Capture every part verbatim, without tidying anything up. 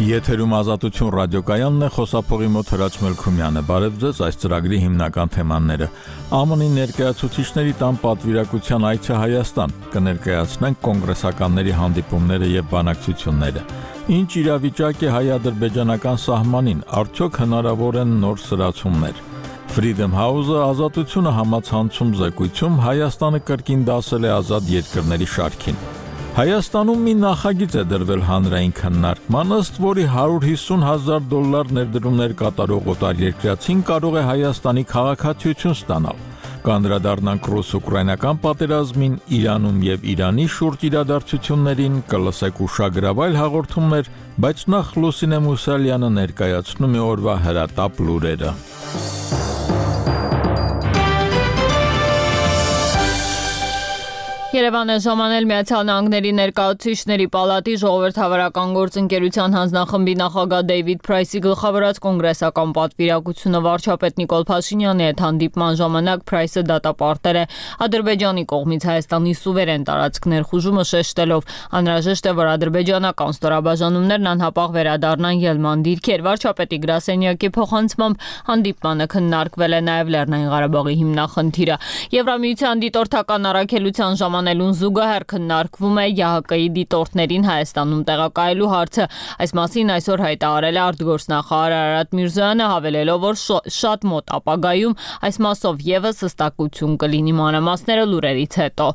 Եթերում Ազատություն ռադիոկայանն է, խոսափողի մոտ Հրաչ Մելքումյանը։ Բարև ձեզ, այս ծրագրի հիմնական թեմաները։ ԱՄՆ-ի ներկայացուցիչների տան պատվիրակության այցը Հայաստան, կներկայացնենք կոնգրեսականների հանդիպումները եւ բանակցությունները։ Ինչ իրավիճակ է հայ-ադրբեջանական սահմանին, արդյոք հնարավոր են նոր սրացումներ։ Freedom House-ը Ազատությունը համացանցում զեկույցում Հայաստանը կրկին դասել է ազատ երկրների շարքին։ Հայաստանում մի նախագիծ է դրվել հանրային քննարկման, ըստ որի հարյուր հիսուն հազար դոլար ներդրումներ կատարող օտարերկրացին կարող է Հայաստանի քաղաքացիություն ստանալ։ Կանդրադառնանք ռուս-ուկրաինական պատերազմին, Իրանում եւ Իրանի շուրջ իրադարձություններին, կլսեք ուշագրավայր հաղորդումներ, բայց նախ Լուսինե Մուսալյանը ներկայացնում է օրվա հրատապ լուրերը։ Երևան է ժամանել Միացյալ Նահանգների ներկայացուցիչների պալատի ժողովրդավարական գործընկերության հանձնախմբի նախագահ Դեյվիդ Փրայսի գլխավորած կոնգրեսական պատվիրակությունը վարչապետ Նիկոլ Փաշինյանի հետ հանդիպման ժամանակ Փրայսը դատապարտել է Ադրբեջանի կողմից Հայաստանի սուվերեն տարածք ներխուժումը, շեշտելով անհրաժեշտ է, որ ադրբեջանական ստորաբաժանումներն անհապաղ վերադառնան ելման դիրքեր։ Վարչապետի գրասենյակի փոխանցմամբ հանդիպմանը քննարկվել է նաև Լեռնային Ղարաբաղի հիմնախնդիրը։ Եվրամիության դիտորդական առաքելության ժամանակ Անելուն զուգահեռ քննարկվում է ԵԱՀԿ-ի դիտորդներին Հայաստանում տեղակայելու հարցը։ Այս մասին այսօր հայտարարել է արտգործնախարար Արարատ Միրզոյանը, հավելելով, որ շատ մոտ ապագայում այս մասով եւս հստակություն կլինի։ Մանրամասները լուրերից հետո։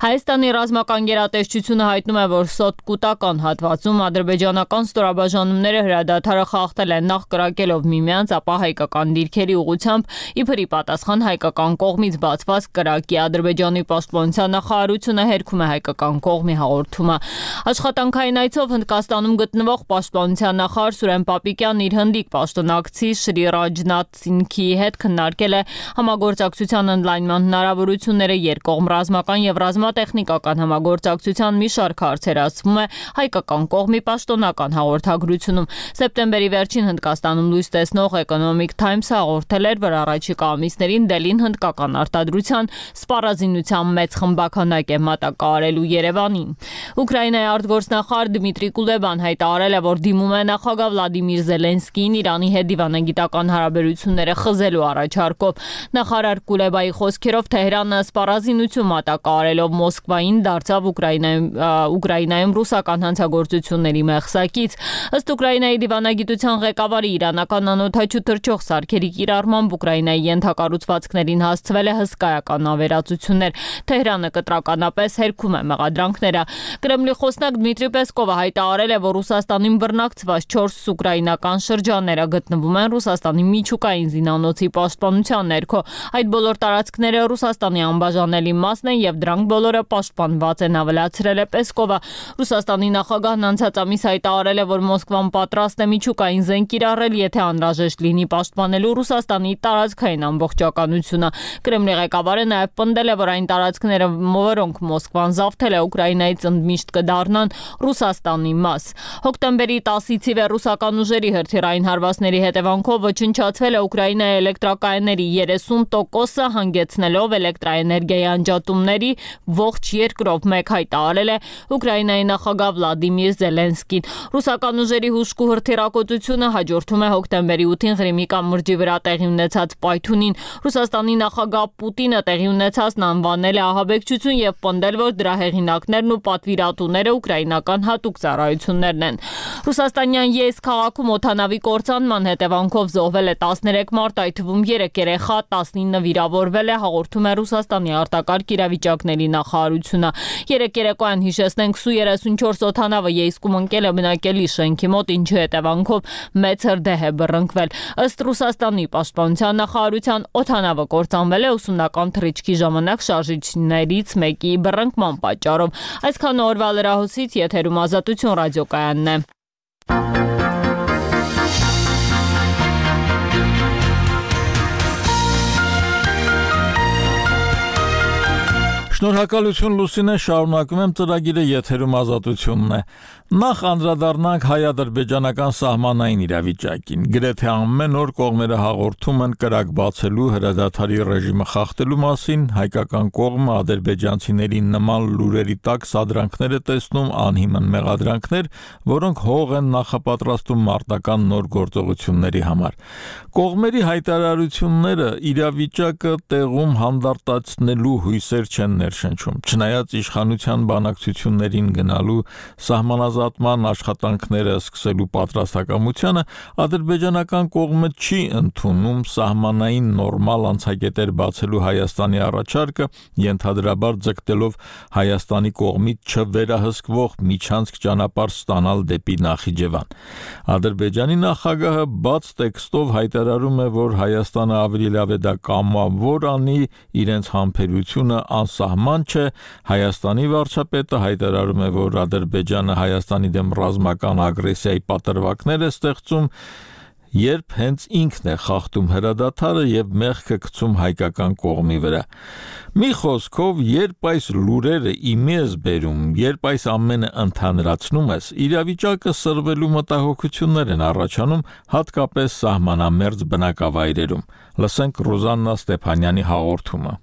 Հայաստանի ռազմական գերատեսչությունը հայտնում է, որ սոտկուտական հատվածում ադրբեջանական ստորաբաժանումները հրադադարը խախտել են, նախ կրակելով միմյանց, ապա հայկական դիրքերի ուղղությամբ, իբրի պատասխան հայկական կողմից բացված կրակի։ Ադրբեջանի պաշտպանության նախարարությունը հերքում է հայկական կողմի հաղորդումը։ Աշխատանքային այցով Հնդկաստանում գտնվող պաշտպանության նախարար Սուրեն Պապիկյանն իր հնդիկ պաշտոնակցի Շրի Ռաջնաթ Սինգհի հետ քննարկել է համագործակցության ընդլայնման հնարավորությունները, երկկողմ ռազմական եւ ռազմատեխնիկական համագործակցության մի շարք հարցեր, ասվում է հայկական կողմի պաշտոնական հաղորդագրությունում։ Սեպտեմբերի վերջին Հնդկաստանում լույս տեսնող Economic Times-ը հաղորդել էր, որ առաջիկա ամիսներին Դելին հնդկական արտադրության սպառազինության մեծ խմբականակ է մատակարարելու Երևանին։ Ուկրաինայի արտգործնախարար Դմիտրի Կուլեբան հայտարարել է, որ դիմում է նախագահ Վլադիմիր Զելենսկիին Իրանի հետ դիվանագիտական հարաբերությունները խզելու առաջարկով։ Նախարար Կուլեբայի խոսքերով Թեհրանը սպառազինություն մատակարարելով Մոսկվային դարձավ Ուկրաինայում Ուկրաինայում ռուսական հանցագործությունների մեղսակից։ Ըստ Ուկրաինայի դիվանագիտության ղեկավարի, իրանական անօդաչու թռչող սարքերի կիրառմամբ Ուկրաինայի ենթակառուցվածքներին հասցվել է հսկայական ավերածություններ։ Թեհրանը կտրականապես հերքում է մեղադրանքները։ Կրեմլի խոսնակ Դմիտրի Պեսկովը հայտարարել է, որ Ռուսաստանին բռնակցված չորս ուկրաինական շրջանները գտնվում են Ռուսաստանի միջուկային զինանոցի պաշտպանության ներքո։ Այդ բոլոր տարածքները Ռուսաստանի անբաժանելի մասն են եւ դրանք բոլորը պաշտպանված են, ավելացրել է Պեսկովը։ Ռուսաստանի նախագահն անցած ամիս հայտարարել է, որ Մոսկվան պատրաստ է միջուկային զենք կիրառել, եթե անհրաժեշտ լինի պաշտպանելու Ռուսաստանի տարածքային ամբողջականությունը։ Կրեմլի ղեկավարը նաև պնդել է, որ այն տարածքները, որոնք Մոսկվան զավթել է Ուկրաինայից, ընդմիշտ կդառնան Ռուսաստանի մաս։ Հոկտեմբերի տասից ի վեր ռուսական ուժերի հրթիռային հարվածների հետևանքով ոչնչացվել է Ուկրաինայի էլեկտրակայանների երեսուն տոկոսը, հանգեցնելով էլեկտրաէներգիայի անջատումների ողջ երկրով, մեկ հայտարարել է Ուկրաինայի նախագահ Վլադիմիր Զելենսկին։ Ռուսական ուժերի հուժկու հրթիռակոծությունը հաջորդում է հոկտեմբերի ութին Ղրիմի կամրջի վրա տեղի ունեցած պայթունին։ Ռուսաստանի նախագահ Պուտինը տեղի ունեցածն անվանել է ահաբեկչություն եւ պնդել, որ դրա հեղինակներն ու պատվիրատուները ուկրաինական հատուկ ծառայություններն են։ Ռուսաստանյան Յեյսկ քաղաքում օդանավի կործանման հետևանքով զոհվել է տասներեք մարդ, այդ թվում երեք երեխա, տասնինը վիրավորվել է, հաղորդում է Ռուսաստանի արտակարգ իրավիճակների նախարարությունը։ Երեք երեկոյան, հիշեցնենք, Սու երեսունչորս օդանավը Յեյսկում ընկել է բնակելի շենքի մոտ, ինչի հետևանքով մեծ հրդեհ է բռնկվել։ Ըստ Ռուսաստանի պաշտպանության նախարարության, օդանավը կործանվել է ուսումնական թռիչքի ժամանակ շարժիչներից մեկի բռնկման պատճառով։ Այսքան օրվա լրահոսից, եթերում Ազատություն ռադիոկայանն է։ Շնորհակալություն Լուսինե, շարունակում եմ ծրագիրը եթերում ազատությունն է։ Նախ անդրադառնանք հայ-ադրբեջանական սահմանային իրավիճակին։ Գրեթե ամեն օր կողմերը հաղորդում են կրակ բացելու հրադադարի ռեժիմը խախտելու մասին, հայկական կողմը ադրբեջանցիների նման լուրերի տակ սադրանքներ է տեսնում, անհիմն մեղադրանքներ, որոնք հող են նախապատրաստում մարտական նոր գործողությունների համար։ Կողմերի հայտարարությունները իրավիճակը տեղում հանդարտացնելու հույսեր չեն ներշնչում, չնայած իշխանության բանակցություններին գնալու սահմանազատման աշխատանքները սկսելու պատրաստակամությանը, ադրբեջանական կողմը չի ընդունում սահմանային նորմալ անցակետեր բացելու Հայաստանի առաջարկը, ենթադրաբար ձգտելով Հայաստանի կողմից չվերահսկվող միջանցք ճանապարհ ստանալ դեպի Նախիջևան։ Ադրբեջանի նախագահը բաց տեքստով հայտարարում է, որ Հայաստանը ավելի լավ է դա կամավոր անի, իրենց համբերությունը անսահման չէ, Հայաստանի վարչապետը հայտարարում է, որ Ադրբեջանը Հայաստանի դեմ ռազմական ագրեսիայի պատրվակներ է ստեղծում, երբ հենց ինքն է խախտում հրադադարը եւ մեղքը գցում հայկական կողմի վրա։ Մի խոսքով, երբ այս լուրերը իմի ես բերում, երբ այս ամենը ընդհանրացնում ես, իրավիճակը սրվելու մտահոգություններ են առաջանում, հատկապես սահմանամերձ բնակավայրերում։ Լսենք Ռուզաննա Ստեփանյանի հաղորդումը։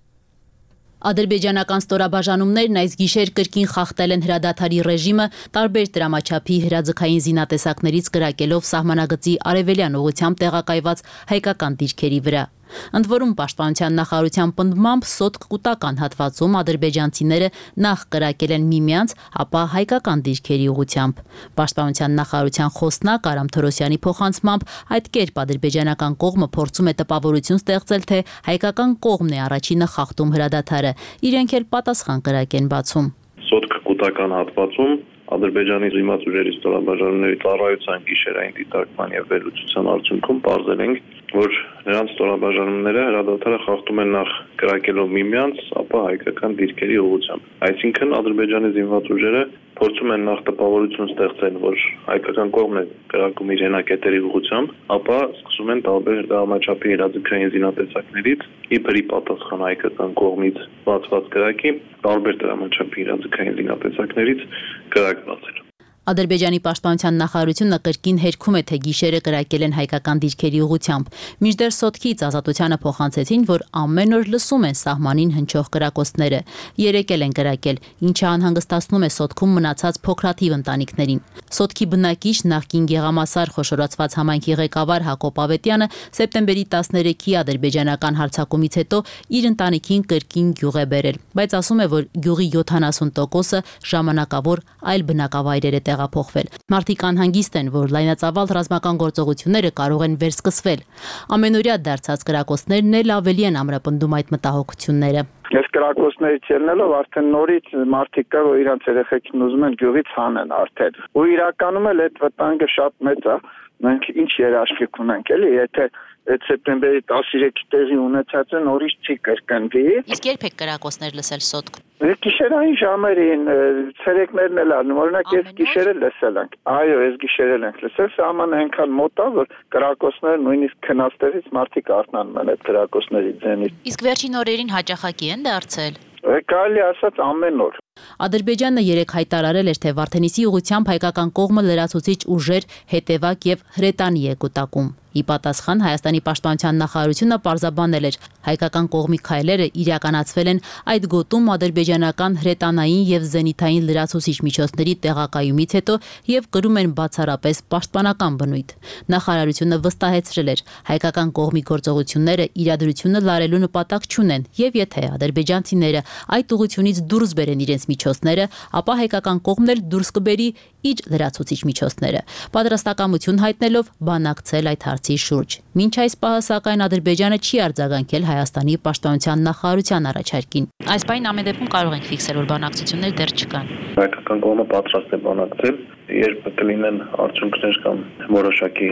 Ադրբեջանական ստորաբաժանումներն այս գիշեր կրկին խախտել են հրադադարի ռեժիմը տարբեր դրամաչափի հրաձգային զինատեսակներից կրակելով սահմանագծի արևելյան ուղղությամբ տեղակայված հայկական դիրքերի վրա։ Ընդ որում պաշտպանության նախարարության պնդմամբ սոտք կուտական հատվածում ադրբեջանցիները նախ կրակել են միմյանց, ապա հայկական դիրքերի ուղղությամբ։ Պաշտպանության նախարարության խոսնակ Արամ Թորոսյանի փոխանցմամբ այդ կերպ ադրբեջանական կողմը փորձում է տպավորություն ստեղծել, թե հայկական կողմն է առաջինը խախտում հրադադարը, իրենք էլ պատասխան կրակ են բացում։ Սոտք կուտական հատվածում Ադրբեջանի զինված ուժերի ստորաբաժանումների ծառայության գիշերային դիտարկման եւ վերլուծության արդյունքում պարզել ենք, որ նրանց ստորաբաժանումները հրադադարը խախտում են նախ կրակելով միմյանց, ապա հայկական դիրքերի ուղղությամբ։ Այսինքն Ադրբեջանի զինված ուժերը փորձում են նախ տպավորություն ստեղծել, որ հայկական կողմն է կրակում իր հենակետերի ուղղությամբ, ապա սկսում են տարբեր դրամաչափի հրաձգային զինատեսակներից իբրի պատասխան հայկական կողմից բացված կրակի տարբեր դրամաչափի հրաձգային զինատեսակներից կրակ բացել։ Ադրբեջանի պաշտպանության նախարարությունը կրկին հերքում է, թե գիշերը կրակել են հայկական դիրքերի ուղղությամբ։ Մինչդեռ Սոտքից ազատությանը փոխանցեցին, որ ամեն օր լսում են սահմանին հնչող կրակոցները։ Երեկ էլ են կրակել, ինչը անհանգստացնում է Սոտքում մնացած փոքրաթիվ ընտանիքներին։ Սոտքի բնակիչ նախկին Գեղամասար խոշորացված համայնքի ղեկավար Հակոբ Ավետյանը սեպտեմբերի տասներեքի ադրբեջանական հարձակումից հետո իր ընտանիքին կրկին գյուղ է բերել, բայց ասում է, որ գյուղի յոթանասուն տոկոսը ժամանակավոր այլ բնակավայրեր է տեղափոխվել։ Մարդիկ անհանգիստ են, որ լայնածավալ ռազմական գործողությունները կարող են վերսկսվել։ Ամենօրյա դարձած կրակոցներն էլ ավելի են ամրապնդում այդ մտահոգությունները։ Ես կրակոցներից ելնելով արդեն նորից մարդիկ կա, որ իրանց երեխեքին ուզում են գյուղից հանեն արդեն։ Ու իրականում էլ այդ վտանգը շատ մեծ է։ Մենք ինչ երաշխիք ունենք, էլի, եթե այդ սեպտեմբերի տասներեքի տեղի ունեցածը նորից չի կրկնվի։ Իսկ երբ եք կրակոցներ լսել Սոտք։ Գիշերային ժամերին, ցերեկներն էլ անում, օրինակ ես գիշերը լսել ենք։ Այո, ես գիշերել ենք լսել, սահմանը այնքան մոտ է, որ կրակոցները նույնիսկ քնաստերից մարդիկ արթնանում են այդ կրակոցների ձենից։ Իսկ վերջին օրերին հաճախակի են դարձել։ Կարելի ասած ամեն օր։ Ադրբեջանը երեք հայտարարել էր, թե Վարդենիսի ուղղությամբ հայկական կողմը լրացուցիչ ուժեր, հետևակ եւ հրետանի է կուտակում։ Ի պատասխան Հայաստանի պաշտպանության նախարարությունը պարզաբանել էր, հայկական կողմի քայլերը իրականացվել են այդ գոտում ադրբեջանական հրետանային եւ զենիթային լրացուցիչ միջոցների տեղակայումից հետո եւ կրում են բացառապես պաշտպանական բնույթ։ Նախարարությունը վստահեցրել էր, հայկական կողմի գործողությունները իրադրությունը լարելու նպատակ չունեն եւ եթե ադրբեջանցիները այդ ուղությունից դուրս բերեն իրենց միջոցները, ապա հայկական կողմն էլ դուրս կբերի իր լրացուցիչ միջոցները։ Պատրաստակամություն հայտնելով բանակցել այդ հարցի շուրջ։ Մինչ այս պահը սակայն Ադրբեջանը չի արձագանքել Հայաստանի պաշտպանության նախարարության առաջարկին։ Այս բանին ամեն դեպքում կարող ենք ֆիքսել, որ բանակցություններ դեռ չկան։ Հայկական կողմը պատրաստ է բանակցել, երբ կլինեն արդյունքներ կամ որոշակի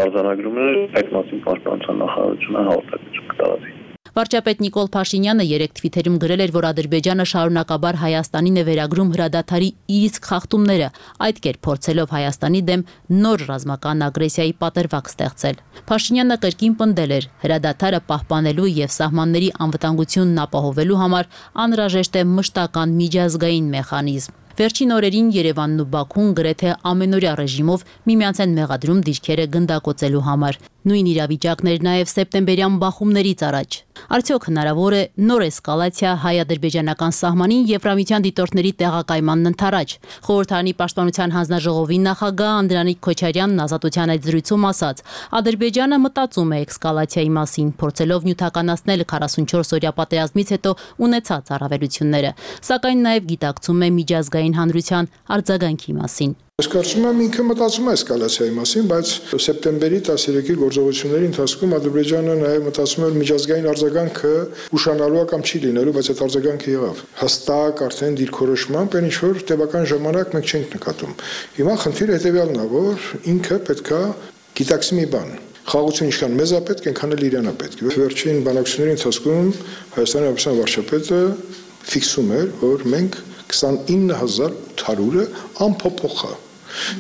արձանագրումներ, այդ մասին պաշտպանության նախարարությունը հաղորդակցություն կտարածի։ Վարչապետ Նիկոլ Փաշինյանը երեկ թվիթերում գրել էր, որ Ադրբեջանը շարունակաբար Հայաստանին է վերագրում հրադադարի իսկ խախտումները, այդ կերպ փորձելով Հայաստանի դեմ նոր ռազմական ագրեսիայի պատրվակ ստեղծել։ Փաշինյանը կրկին պնդել էր, հրադադարը պահպանելու եւ սահմանների անվտանգությունն ապահովելու համար անհրաժեշտ է մշտական միջազգային մեխանիզմ։ Վերջին օրերին Երևանն ու Բաքուն գրեթե ամենօրյա ռեժիմով միմյանց են մեղադրում դիրքերը գնդակոծելու համար։ Նույն իրավիճակն էր նաև սեպտեմբերյան բախումներից առաջ։ Արդյոք հնարավոր է նոր էսկալացիա հայ-ադրբեջանական սահմանին Եվրամիության դիտորդների տեղակայմանն ընդառաջ։ Խորհրդարանի պաշտպանության հանձնաժողովի նախագահ Անդրանիկ Քոչարյանն Ազատության այդ զրույցում ասաց. Ադրբեջանը մտածում է էսկալացիայի մասին, փորձելով նյութականացնել քառասունչորս օրյա պատերազմից հետո ունեցած առավելությունները, սակայն նաև գիտակցում է միջազգային հանրության արձագանքի մասին։ Ես կարծում եմ ինքը մտածում է էսկալացիայի մասին, բայց սեպտեմբերի տասներեքի գործողությունների ընթացքում Ադրբեջանը նաև մտածում էր միջազգային արձագանքը ուշանալու կամ չի լինելու, բայց այդ արձագանքը եղավ։ Հստակ արդեն դիրքորոշմամբ այն ինչ-որ տևական ժամանակ մենք չենք նկատում։ Հիմա խնդիրը հետևյալն է, որ ինքը պետքա գիտակցի մի բան։ Խաղաղությունը ինչքան մեզ է պետք, այնքան էլ իրան է պետք։ Վերջին բանակցությունների ընթացքում Հայաստանի Հանրապետության վարչապետը ֆիքսում էր, որ մենք քսանինը հազար ութ հարյուրը անփոփոխ է։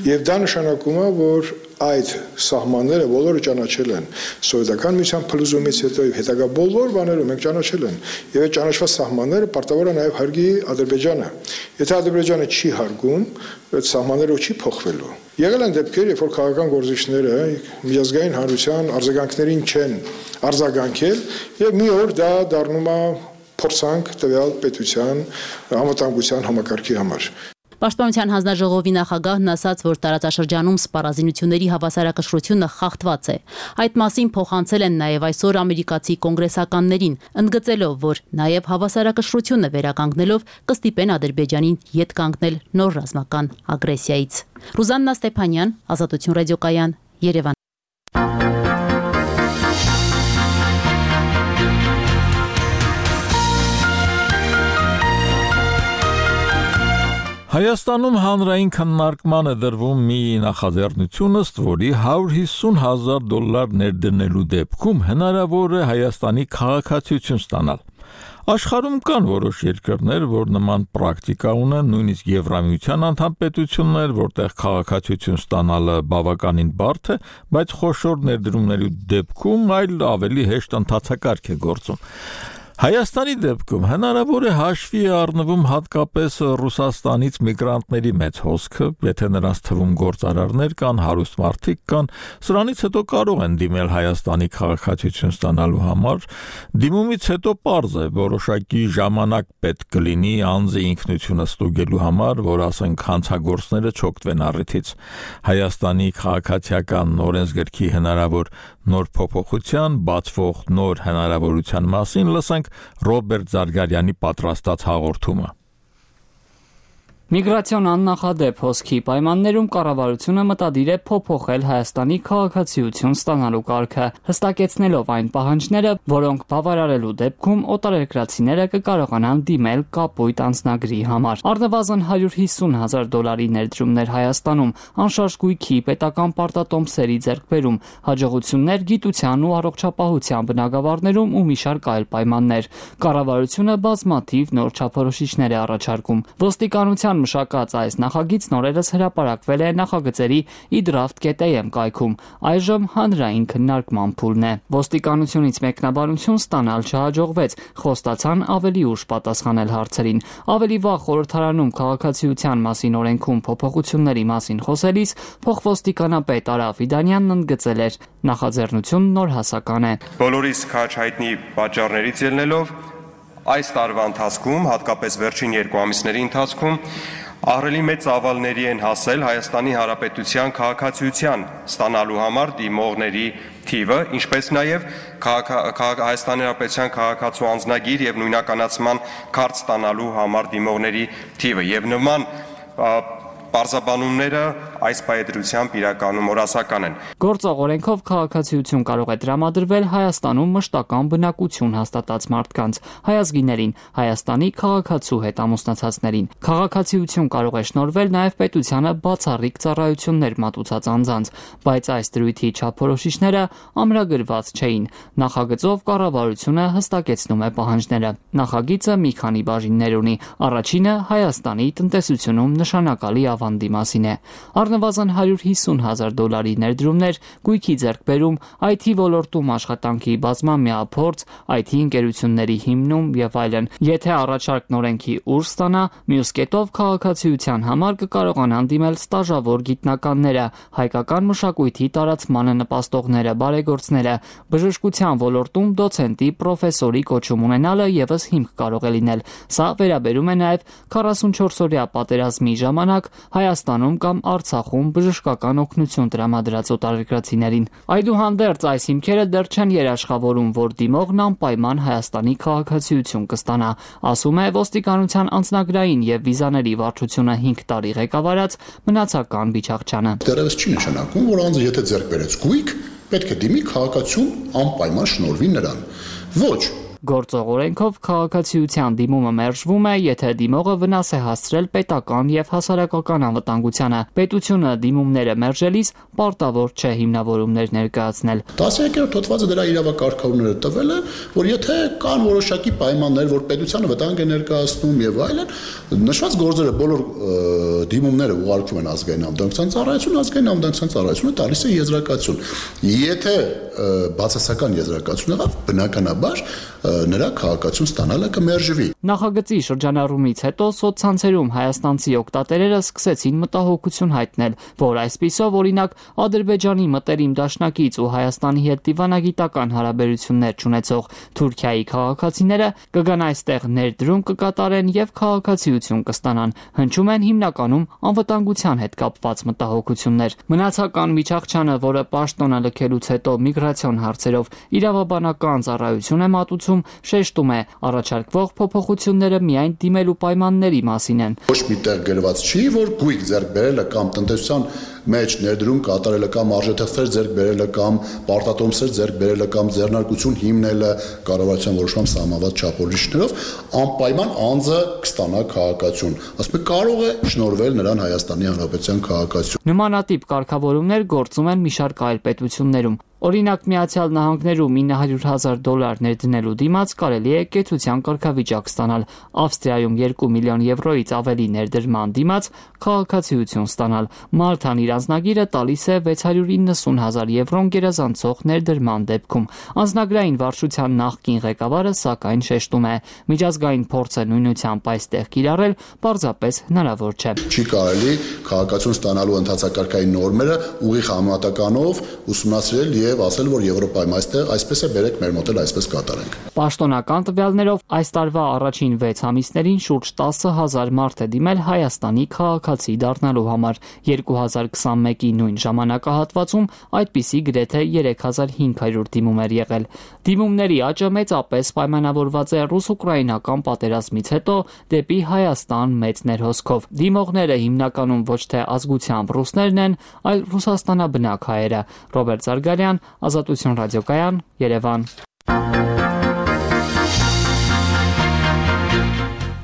Եվ դա նշանակում է, որ այդ սահմանները բոլորը ճանաչել են սովետական միության փլուզումից հետո եւ հետագա բոլոր բաներում մենք ճանաչել են եւ այդ ճանաչված սահմանները պարտավոր է նաեւ հարգի Ադրբեջանը։ Եթե Ադրբեջանը չի հարգում, այդ սահմանները չի փոխվելու։ Եղել են դեպքեր, երբ որ քաղաքական գործիչները միջազգային հանրության արձագանքներին չեն արձագանքել եւ մի օր դա դառնում է փորձանք տվյալ պետության անվտանգության համակարգի համար։ Պաշտպանության հանձնաժողովի նախագահն ասաց, որ տարածաշրջանում սպառազինությունների հավասարակշռությունը խախտված է։ Այդ մասին փոխանցել են նաև այսօր ամերիկացի կոնգրեսականներին, ընդգծելով, որ նաև հավասարակշռությունը վերականգնելով կստիպեն Ադրբեջանին ետ կանգնել նոր ռազմական ագրեսիայից։ Ռուզաննա Ստեփանյան, Ազատություն ռադիոկայան, Երևան։ Հայաստանում հանրային քննարկման է դրվում մի նախաձեռնություն, ըստ որի հարյուր հիսուն հազար դոլար ներդնելու դեպքում հնարավոր է Հայաստանի քաղաքացիություն ստանալ։ Աշխարհում կան որոշ երկրներ, որ նման պրակտիկա ունեն, նույնիսկ Եվրամիության անդամ պետություններ, որտեղ քաղաքացիություն ստանալը բավականին բարդ է, բայց խոշոր ներդրումների դեպքում այլ ավելի հեշտ ընթացակարգ է գործում։ Հայաստանի դեպքում հնարավոր է հաշվի առնվում հատկապես Ռուսաստանից միգրանտների մեծ հոսքը, եթե նրանց թվում գործարարներ կան, հարուստ մարդիկ կան, սրանից հետո կարող են դիմել Հայաստանի քաղաքացիություն ստանալու համար, դիմումից հետո պարզ է, որոշակի ժամանակ պետք կլինի անձի ինքնությունը ստուգելու համար, որ ասենք հանցագործները չօգտվեն առիթից։ Հայաստանի քաղաքացիական օրենսգրքի հնարավոր նոր փոփոխության, բացվող նոր հնարավորության մասին լսենք Ռոբերտ Զարգարյանի պատրաստած հաղորդումը։ Միգրացիոն աննախադեպ հոսքի պայմաններում կառավարությունը մտադիր է փոփոխել Հայաստանի քաղաքացիություն ստանալու կարգը, հստակեցնելով այն պահանջները, որոնք բավարարելու դեպքում օտարերկրացիները կկարողանան դիմել կապույտ անձնագրի համար։ Առնվազն հարյուր հիսուն հազար դոլարի ներդրումներ Հայաստանում, անշարժ գույքի, պետական պարտատոմսերի ձեռքբերում, հաջողություններ գիտության ու առողջապահության բնագավառներում ու մի շարք այլ պայմաններ։ Կառավարությունը բազմաթիվ նոր չափորոշիչներ է առաջարկում։ Ոստիկանության մշակած այս նախագիծն օրերս հրապարակվել է նախագծերի idraft.am կայքում, այժմ հանրային քննարկման փուլն է։ Ոստիկանությունից մեկնաբանություն ստանալ չհաջողվեց, խոստացան ավելի ուշ պատասխանել հարցերին։ Ավելի վաղ խորհրդարանում քաղաքացիության մասին օրենքում փոփոխությունների մասին խոսելիս փոխոստիկանապետ Արա Ֆիդանյանն ընդգծել էր. նախաձեռնությունն նոր հասական է։ Բոլորիս քաջ հայտնի պատճառներից ելնելով այս տարվա ընթացքում, հատկապես վերջին երկու ամիսների ընթացքում, ահռելի մեծ ծավալների են հասել Հայաստանի Հանրապետության քաղաքացիության ստանալու համար դիմողների թիվը, ինչպես նաև Հայաստանի Հանրապետության քաղաքացու անձնագիր եւ նույնականացման քարտ ստանալու համար դիմողների թիվը եւ նման Պարզաբանումները այս պայդրությամբ իրականում օրասական են։ Գործող օրենքով քաղաքացիություն կարող է տրամադրվել Հայաստանում մշտական բնակություն հաստատած մարդկանց, հայազգիներին, Հայաստանի քաղաքացու հետ ամուսնացածներին։ Քաղաքացիություն կարող է շնորհվել նաև պետությանը բացառիկ ծառայություններ մատուցած անձանց, բայց այս դրույթի չափորոշիչները ամրագրված չէին։ Նախագծով կառավարությունը հստակեցնում է պահանջները։ Նախագիծը մի քանի բաժիններ ունի։ Առաջինը Հայաստանի տնտեսությունում նշանակալի ավանդի մասին է։ Առնվազն հարյուր հիսուն հազար դոլարի ներդրումներ, գույքի ձեռքբերում, այ թի ոլորտում աշխատանքի բազմամյա փորձ, այ թի ընկերությունների հիմնում եւ այլն։ Եթե առաջարկն օրենքի ուժ ստանա, մյուս կետով քաղաքացիության համար կկարողանան դիմել ստաժավոր գիտնականները, հայկական մշակույթի տարածմանը նպաստողները, բարեգործները, բժշկության ոլորտում դոցենտի, պրոֆեսորի կոչում ունենալը եւս հիմք կարող է լինել։ Սա վերաբերում է նաև քառասունչորս-օրյա պատերազմի ժամանակ Հայաստանում կամ Արցախում բժշկական օգնություն տրամադրած օտարերկրացիներին։ Այդուհանդերձ այս հիմքերը դեռ չեն երաշխավորում, որ դիմողն անպայման Հայաստանի քաղաքացիություն կստանա, ասում է ոստիկանության անձնագրային եւ վիզաների վարչությունը հինգ տարի ղեկավարած Մնացական Բիչախչյանը։ Դեռևս չի նշանակում, որ անձը եթե ձեռք բերեց գույք, պետք է դիմի քաղաքացիություն անպայման շնորհվի նրան։ Ոչ։ Գործող օրենքով քաղաքացիության դիմումը մերժվում է, եթե դիմողը վնաս է հասցրել պետական եւ հասարակական անվտանգությանը։ Պետությունը դիմումները մերժելիս պարտավոր չէ հիմնավորումներ ներկայացնել։ տասներորդ հոդվածը դրա իրավակարգավորները տվել է, որ եթե կան որոշակի պայմաններ, որ պետությանը վտանգ է ներկայացնում եւ այլն, նշված գործերը բոլոր դիմումները ուղարկվում են ազգային անվտանգության ծառայություն, ազգային անվտանգության ծառայությունը տալիս է եզրակացություն։ Եթե բացասական եզրակացություն եղավ, բնականաբար նրա քաղաքացիություն ստանալը կմերժվի։ Նախագծի շրջանառումից հետո սոցցանցերում հայաստանցի օգտատերերը սկսեցին մտահոգություն հայտնել, որ այսպիսով օրինակ Ադրբեջանի մտերիմ դաշնակից ու Հայաստանի հետ դիվանագիտական հարաբերություններ չունեցող Թուրքիայի քաղաքացիները կգան այստեղ ներդրում կկատարեն եւ քաղաքացիություն կստանան։ Հնչում են հիմնականում անվտանգության հետ կապված մտահոգություններ։ Մնացական Միչախչյանը, որը պաշտոնը լքելուց հետո միգրացիոն հարցերով իրավաբանական ծառայություն է մատուցում, շեշտում է, առաջարկվող փոփոխությունները միայն դիմելու պայմանների մասին են։ Ոչ միտեղ գրված չի, որ գույք ձեռք բերելը կամ տնտեսության մեջ ներդրում կատարելը կամ արժեթղթեր ձեռք բերելը կամ պարտատոմսեր ձեռք բերելը կամ ձեռնարկություն հիմնելը կառավարության որոշման սահմանված չափորոշիչներով անպայման անձը կստանա քաղաքացիություն։ Ասում է կարող է շնորհվել նրան Հայաստանի Հանրապետության քաղաքացիություն։ Նմանատիպ կարգավորումներ գործում են մի շարք այլ պետություններում։ Օրինակ Միացյալ Նահանգներում ինը հարյուր հազար դոլար ներդնելու դիմաց կարելի է կեցության կարգավիճակ ստանալ, Ավստրիայում երկու միլիոն եվրոից ավելի ներդրման դիմաց քաղաքացիություն ստանալ, Մալթան իր անձնագիրը տալիս է վեց հարյուր իննսուն հազար եվրոն գերազանցող ներդրման դեպքում։ Անձնագրային վարչության նախկին ղեկավարը սակայն շեշտում է, միջազգային փորձը նույնությամբ այստեղ կիրառել պարզապես հնարավոր չէ։ Չի կարելի քաղաքացիություն ստանալու ընթացակարգային նորմերը ուղիղ համատականով ուսումնասիրել եւ ասել, որ Եվրոպայում այստեղ այսպես է բերեք մեր մոտ էլ այսպես կատարենք։ Պաշտոնական տվյալներով այս տարվա առաջին վեց ամիսներին շուրջ տասը հազար մարդ է դիմել Հայաստանի քաղաքացի դառնալու համար։ երկու հազար քսանմեկի նույն ժամանակահատվածում այդպիսի գրեթե երեք հազար հինգ հարյուր դիմում էր եղել։ Դիմումների աճը մեծապես պայմանավորված է ռուս-ուկրաինական պատերազմից հետո դեպի Հայաստան մեծ ներհոսքով։ Դիմողները հիմնականում ոչ թե ազգությամբ ռուսներն են, այլ ռուսաստանաբնակ հայերը։ Ռոբերտ Զարգարյան, Ազատություն ռադիոկայան, Երևան։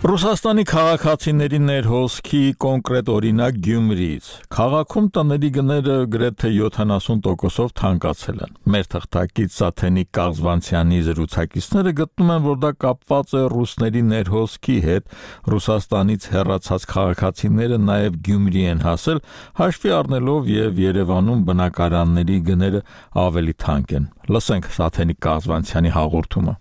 Ռուսաստանի քաղաքացիների ներհոսքի կոնկրետ օրինակ Գյումրիից։ Քաղաքում տների գները գրեթե յոթանասուն տոկոսով թանկացել են։ Մեր թղթակից Սաթենիկ Կաղզվանցյանի զրուցակիցները գտնում են, որ դա կապված է ռուսների ներհոսքի հետ։ Ռուսաստանից հեռացած քաղաքացիները նաև Գյումրի են հասել, հաշվի առնելով եւ Երևանում բնակարանների գները ավելի թանկ են։ Լսենք Սաթենիկ Կաղզվանցյանի հաղորդումը։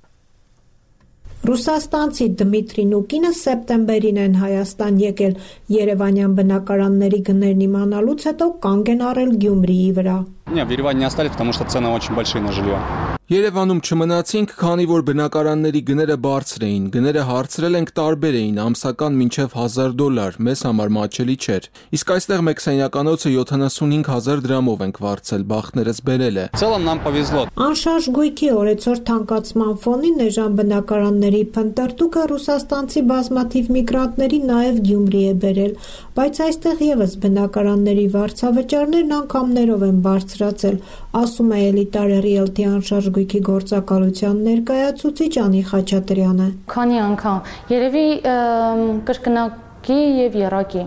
Ռուսաստանցի Դմիտրին ու կինը սեպտեմբերին են Հայաստան եկել, երևանյան բնակարանների գներն իմանալուց հետո կանգ են առել Գյումրիի վրա։ Не, в Ереване не остались, потому что цены очень большие на жилье. Երևանում չմնացինք, քանի որ բնակարանների գները բարձր էին, գները հարցրել ենք տարբեր էին, ամսական մինչև հազար դոլար, մեզ համար մաչելի չէր։ Իսկ այստեղ մեկ սենյականոցը յոթանասունհինգ հազար դրամով ենք վարձել, բախտներս բերել է։ В целом нам повезло. Անշարժ գույքի օրեցօր թանկացման ֆոնին էժան բնակարանների փնտրտուքը ռուսաստանցի բազմաթիվ միգրանտների նաև Գյումրի է բերել։ բայց այստեղ եւս բնակարանների վարձավճարներն անգամներով են բարձրացել, ասում է Էլիտար Realty անշարժ գույքի գործակալության ներկայացուցիչ Անի Խաչատրյանը։ Քանի անգամ երևի կրկնակի եւ եռակի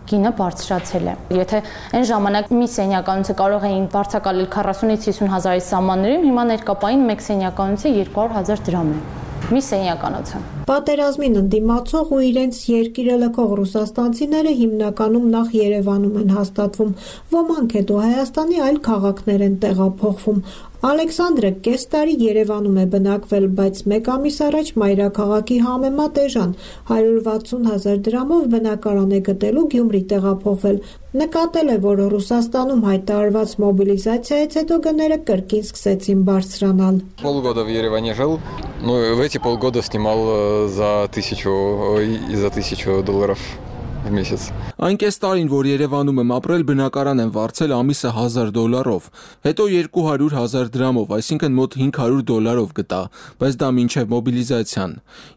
գինը բարձրացել է։ Եթե այն ժամանակ մի սենյականոցը կարող էին վարձակալել քառասունից հիսուն հազարի սահմաններում, հիմա ներկապային մեկ սենյականոցը երկու հարյուր հազար դրամ է։ Մի սենյականոցը։ Պատերազմին ընդդիմացող ու իրենց երկիրը լքող ռուսաստանցիները հիմնականում նախ Երևանում են հաստատվում, ոմանք հետո Հայաստանի այլ քաղաքներ են տեղափոխվում։ Ալեքսանդրը կես տարի Երևանում է բնակվել, բայց մեկ ամիս առաջ մայրաքաղաքի համեմատ էժան հարյուր վաթսուն հազար դրամով բնակարան է գտելու Գյումրի տեղափոխվել։ Նկատել է, որ Ռուսաստանում հայտարարված մոբիլիզացիայից հետո գները կրկին սկսեցին բարձրանալ։ Полгода в Ереване жил, но в эти полгода снимал за тысячу и за тысячу долларов в месяц. Այն կես տարին, որ Երևանում եմ ապրել, բնակարան եմ վարձել ամիսը հազար դոլարով, հետո երկու հարյուր հազար դրամով, այսինքն մոտ հինգ հարյուր դոլարով գտա, բայց դա մինչև մոբիլիզացիան։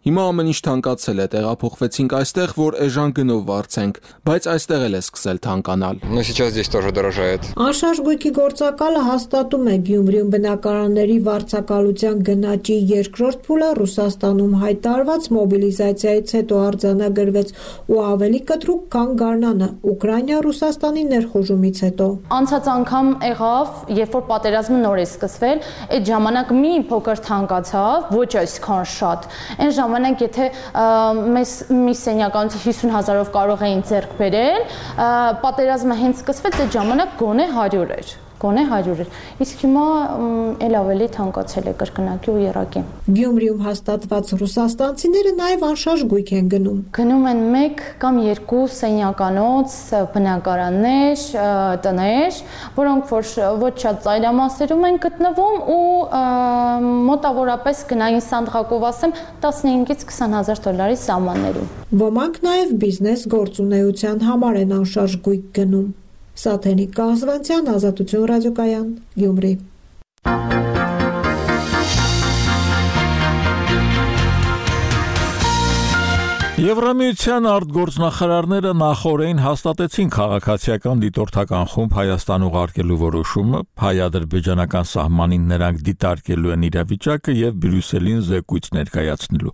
Հիմա ամեն ինչ թանկացել է, տեղափոխվեցինք այստեղ, որ էժան գնով վարձենք, բայց այստեղ էլ է սկսել թանկանալ։ Но сейчас здесь тоже дорожает. Անշարժ գույքի գործակալը հաստատում է Գյումրիում բնակարանների վարձակալության գնաճի երկրորդ փուլը Ռուսաստանում հայտարարված մոբիլիզացիայից հետո արձանագրվեց ու ավելի կտրուկ, քան Գարնանը, Ուկրաինա Ռուսաստանի ներխուժումից հետո։ Անցած անգամ եղավ, երբ որ պատերազմը նոր է սկսվել, այդ ժամանակ մի փոքր թանկացավ, ոչ այսքան շատ։ Այն ժամանակ եթե մեզ մի սենյականոցը հիսուն հազարով կարող էին ձեռք բերել, պատերազմը հենց սկսվեց, այդ ժամանակ գոնե հարյուր էր։ Գոնե հարյուր էր։ Իսկ հիմա էլ ավելի թանկացել է կրկնակի ու եռակի։ Գյումրիում հաստատված ռուսաստանցիները նաև անշարժ գույք են գնում։ Գնում են մեկ կամ երկու սենյականոց, բնակարաններ, տներ, որոնք որ ոչ շատ ծայրամասերում են գտնվում ու մոտավորապես գնային սանդղակով ասեմ տասնհինգից քսան հազար դոլարի սահմաններում։ Ոմանք նաև բիզնես գործունեության համար են անշարժ գույք գնում։ Սաթենիկ Կազվանցյան, Ազատություն ռադիոկայան, Գյումրի։ Եվրամիության արտգործնախարարները նախօրեին հաստատեցին քաղաքացիական դիտորդական խումբ Հայաստան ուղարկելու որոշումը, հայ-ադրբեջանական սահմանին նրանք դիտարկելու են իրավիճակը եւ Բրյուսելին զեկույց ներկայացնելու։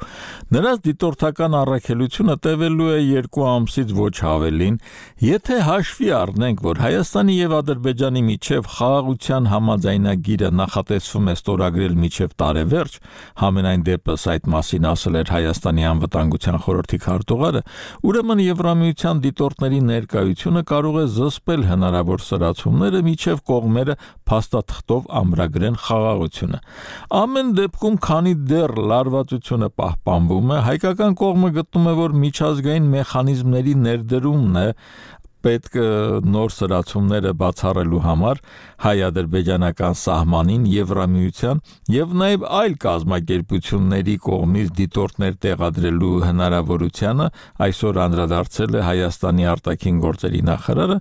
Նրանց դիտորդական առաքելությունը տևելու է երկու ամսից ոչ ավելին, եթե հաշվի առնենք, որ Հայաստանի եւ Ադրբեջանի միջև խաղաղության համաձայնագիրը նախատեսվում է ստորագրել միջև տարեվերջ, համենայն դեպս այդ մասին ասել էր Հայաստանի անվտանգության խորհրդի քարտուղարը, ուրեմն Եվրամիության դիտորդների ներկայությունը կարող է զսպել հնարավոր սրացումները միջև կողմերը փաստաթղթով ամրագրեն խաղաղությունը։ Ամեն դեպքում, քանի դեռ լարվածությունը պահպանվում է, հայկական կողմը գտնում է, որ միջազգային մեխանիզմների ներդրումն է պետք նոր սրացումները բացառելու համար հայ-ադրբեջանական սահմանին Եվրամիության եւ նաեւ այլ կազմակերպությունների կողմից դիտորդներ տեղադրելու հնարավորությանը այսօր անդրադարձել է Հայաստանի արտաքին գործերի նախարարը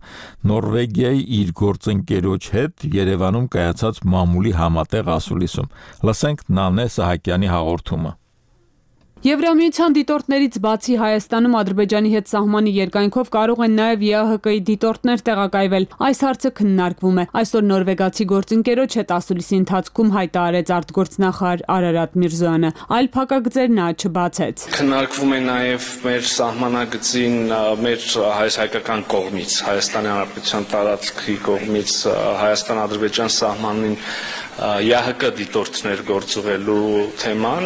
Նորվեգիայի իր գործընկերոջ հետ Երևանում կայացած մամուլի համատեղ ասուլիսում։ Լսենք Նանե Սահակյանի հաղորդումը։ Եվրամիության դիտորդներից բացի Հայաստանում Ադրբեջանի հետ սահմանի երկայնքով կարող են նաև ԵԱՀԿ-ի դիտորդներ տեղակայվել։ Այս հարցը քննարկվում է։ Այսօր նորվեգացի գործընկերոջ հետ ասուլիսի ընթացքում հայտարարեց արտգործնախարար Արարատ Միրզոյանը, այլ փակագծեր նա չբացեց։ Քննարկվում է նաև մեր սահմանագծին մեր հայ-հայկական կողմից, Հայաստանի Հանրապետության տարածքի կողմից Հայաստան-Ադրբեջան սահմանին ԵԱՀԿ դիտորդներ գործուղելու թեման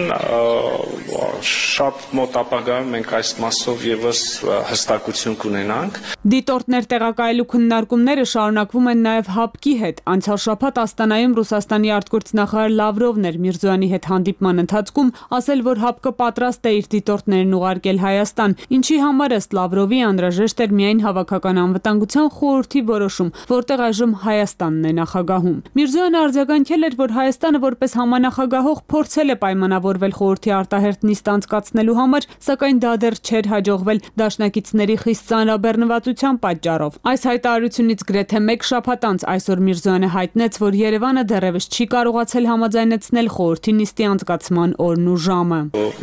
շատ մոտ ապագայում մենք այս մասով եւս հստակություն կունենանք։ Դիտորդներ տեղակայելու քննարկումները շարունակվում են նաև ՀԱՊԿ-ի հետ։ Անցյալ շաբաթ Աստանայում Ռուսաստանի արտգործնախարար Լավրովն էր Միրզոյանի հետ հանդիպման ընթացքում ասել, որ ՀԱՊԿ-ը պատրաստ է իր դիտորդներն ուղարկել Հայաստան, ինչի համար ըստ Լավրովի անհրաժեշտ էր միայն հավաքական անվտանգության խորհրդի որոշում, որտեղ այժմ Հայաստանն է նախագահում։ Միրզոյանը արձագանքել նշել էր, որ Հայաստանը որպես համանախագահող փորձել է պայմանավորվել խորհրդի արտահերթ նիստ անցկացնելու համար, սակայն դա դեռ չէր հաջողվել դաշնակիցների խիստ ծանրաբեռնվածության պատճառով։ Այս հայտարարությունից գրեթե մեկ շաբաթ անց այսօր Միրզոյանը հայտնեց, որ Երևանը դեռևս չի կարողացել համաձայնեցնել խորհրդի նիստի անցկացման օրն ու ժամը։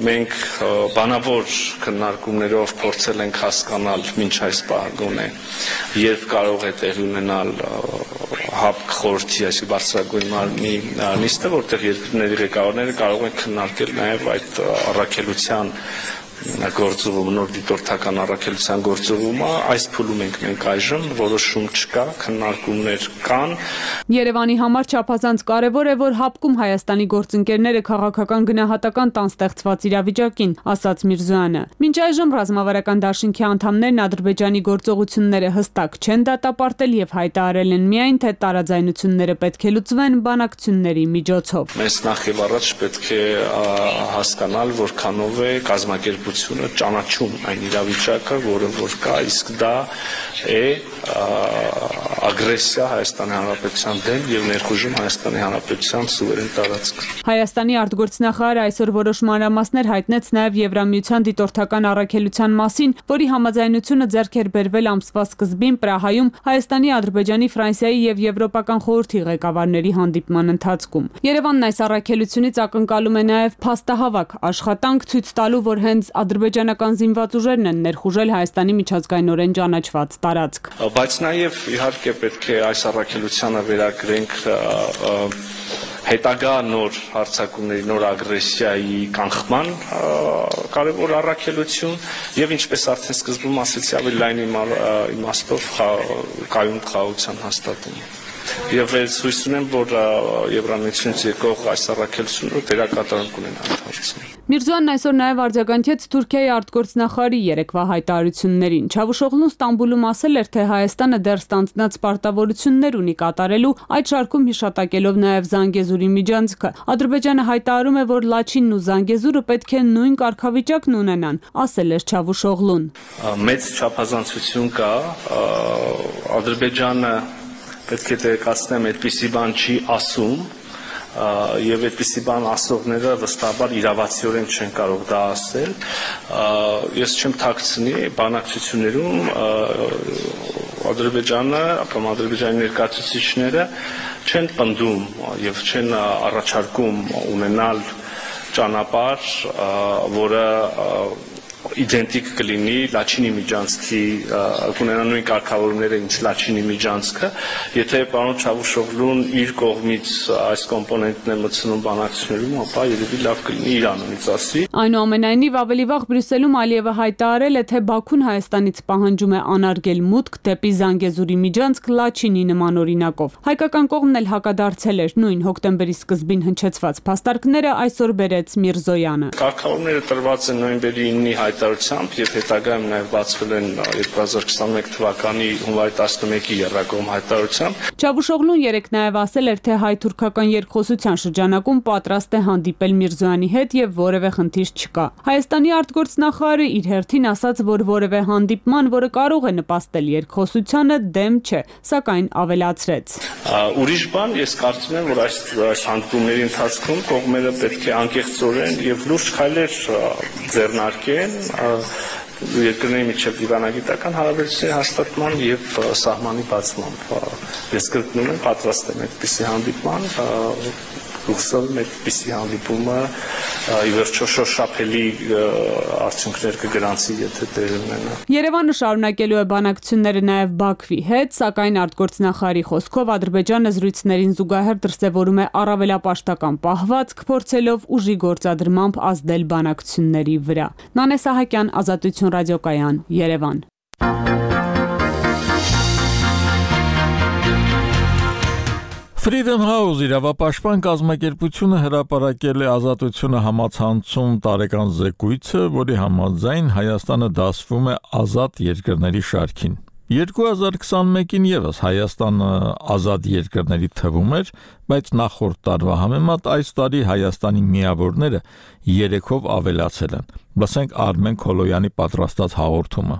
Մենք բանավոր քննարկումներով փորձել ենք հասկանալ մինչ այս պահագոնե, երբ կարող է տեղի ունենալ ՀԱՊԿ խորհրդի, այսինքն բարձրագույն մարմնի նիստը, որտեղ երկրների ղեկավարները կարող են քննարկել նաև այդ առաքելության գործողումը, նոր դիտորդական առաքելության գործողումը, այս փուլում ենք մենք այժմ, որոշում չկա, քննարկումներ կան։ Երևանի համար չափազանց կարևոր է, որ ՀԱՊԿ-ում Հայաստանի գործընկերները քաղաքական գնահատական տան ստեղծված իրավիճակին, ասաց Միրզոյանը։ Մինչ այժմ ռազմավարական դաշինքի անդամներն Ադրբեջանի գործողությունները հստակ չեն դատապարտել եւ հայտարարել են միայն, թե տարաձայնությունները պետք է լուծվեն բանակցությունների միջոցով։ Մենք նախ եւ առաջ պետք է հասկանալ, որքանով է կազմակերպությունը ճանաչում այն իրավիճակը, որը որ կա, իսկ դա է ագրեսիա Հայաստանի Հանրապետության դեմ եւ ներխուժում Հայաստանի Հանրապետության սուվերեն տարածք։ Հայաստանի արտգործնախարարը այսօր որոշ մանրամասներ հայտնեց նաեւ Եվրամիության դիտորդական առաքելության մասին, որի համաձայնությունը ձեռք էր բերվել ամսվա սկզբին Պրահայում Հայաստանի, Ադրբեջանի, Ֆրանսիայի եւ Եվրոպական խորհրդի ղեկավարների հանդիպման ընթացքում։ Երևանն այս առաքելությունից ակնկալում է նաեւ փաստահավաք աշխատանք ցույց տալու, որ հենց ադրբեջանական զինված ուժերն են ներխուժել Հայաստանի միջազգայինորեն ճանաչված տարածք։ Բայց նաեւ իհարկե պետք է այս առաքելությանը վերագրենք հետագա նոր հարձակումների, նոր ագրեսիայի կանխման կարևոր առաքելություն եւ ինչպես արդեն սկզբում ասեցի, ավելի լայն իմաստով կայուն խաղաղության հաստատում։ Եվ ես հույս ունեմ, որ Եվրամիությունից եկող այս առաքելությունը դերակատարում կունենա այդ հարցում։ Միրզոյանն այսօր նաև արձագանքեց Թուրքիայի արտգործնախարարի երեկվա հայտարարություններին։ Չավուշօղլուն Ստամբուլում ասել էր, թե Հայաստանը դեռ ստանձնած պարտավորություններ ունի կատարելու, այդ շարքում հիշատակելով նաև Զանգեզուրի միջանցքը։ Ադրբեջանը հայտարարում է, որ Լաչինն ու Զանգեզուրը պետք է նույն կարգավիճակն ունենան, ասել էր Չավուշօղլուն։ Մեծ չափազանցություն կա, Ադրբեջանը պետք է տեղեկացնեմ, այդպիսի բան չի ասում եւ այդպիսի բան ասողները վստահաբար իրավացիորեն չեն կարող դա ասել։ Ես չեմ թաքցնի բանակցություններում Ադրբեջանը կամ Ադրբեջանի ներկայացուցիչները չեն պնդում եւ չեն առաջարկում ունենալ ճանապարհ, որը իդենտիկ կլինի Լաչինի միջանցքի, կունենա նույն կարգավորումները, ինչ Լաչինի միջանցքը, եթե պարոն Չավուշօղլուն իր կողմից այս կոմպոնենտն է մտցնում բանակցություններում, ապա երևի լավ կլինի իր անունից ասի։ Այնուամենայնիվ ավելի վաղ Բրյուսելում Ալիևը հայտարարել է, թե Բաքուն Հայաստանից պահանջում է անարգել մուտք դեպի Զանգեզուրի միջանցք Լաչինի նման օրինակով։ Հայկական կողմն էլ հակադարձել էր նույն հոկտեմբերի սկզբին հնչեցված փաստարկները այսօր բերեց Միրզոյանը։ Կարգավորումները տրված են նոյեմբերի իննի հայտարարությամբ եւ հետագայում նաեւ բացվել են երկու հազար քսաներեք թվականի հունվարի տասնմեկի եռակողմ հայտարարությամբ։ Չավուշօղլուն երեկ նաեւ ասել էր, թե հայ-թուրքական երկխոսության շրջանակում պատրաստ է հանդիպել Միրզոյանի հետ եւ որևէ խնդիր չկա։ Հայաստանի արտգործնախարարը իր հերթին ասաց, որ որևէ հանդիպման, որը կարող է նպաստել երկխոսությանը, դեմ չէ, սակայն ավելացրեց։ Ուրիշ բան, ես կարծում եմ, որ այս այս հանդիպումների ընթացքում կողմերը պետք է անկեղծորեն եւ լուրջ քայլեր ձեռնարկեն երկրների միջև դիվանագիտական հարաբերությունների հաստատման եւ սահմանի բացման։ Ես կրկնում եմ, պատրաստ եմ այդպիսի հանդիպման, հուսով եմ այդպիսի հանդիպումը ի վերջո շոշափելի արդյունքներ կգրանցի, եթե տեղի ունենա։ Երևանը շարունակելու է բանակցությունները նաև Բաքվի հետ, սակայն արտգործնախարարի խոսքով Ադրբեջանը զրույցներին զուգահեռ դրսևորում է առավելապաշտական պահվածք, փորձելով ուժի գործադրմամբ ազդել բանակցությունների վրա։ Նանե Սահակյան, Ազատություն ռադիոկայան, Երևան։ Freedom House իրավապաշտպան կազմակերպությունը հրապարակել է Ազատությունը համացանցում տարեկան զեկույցը, որի համաձայն Հայաստանը դասվում է ազատ երկրների շարքին։ երկու հազար քսանմեկին եւս Հայաստանը ազատ երկրների թվում էր, բայց նախորդ տարվա համեմատ այս տարի Հայաստանի միավորները երեքով ավելացել են։ Լսենք Արմեն Քոլոյանի պատրաստած հաղորդումը։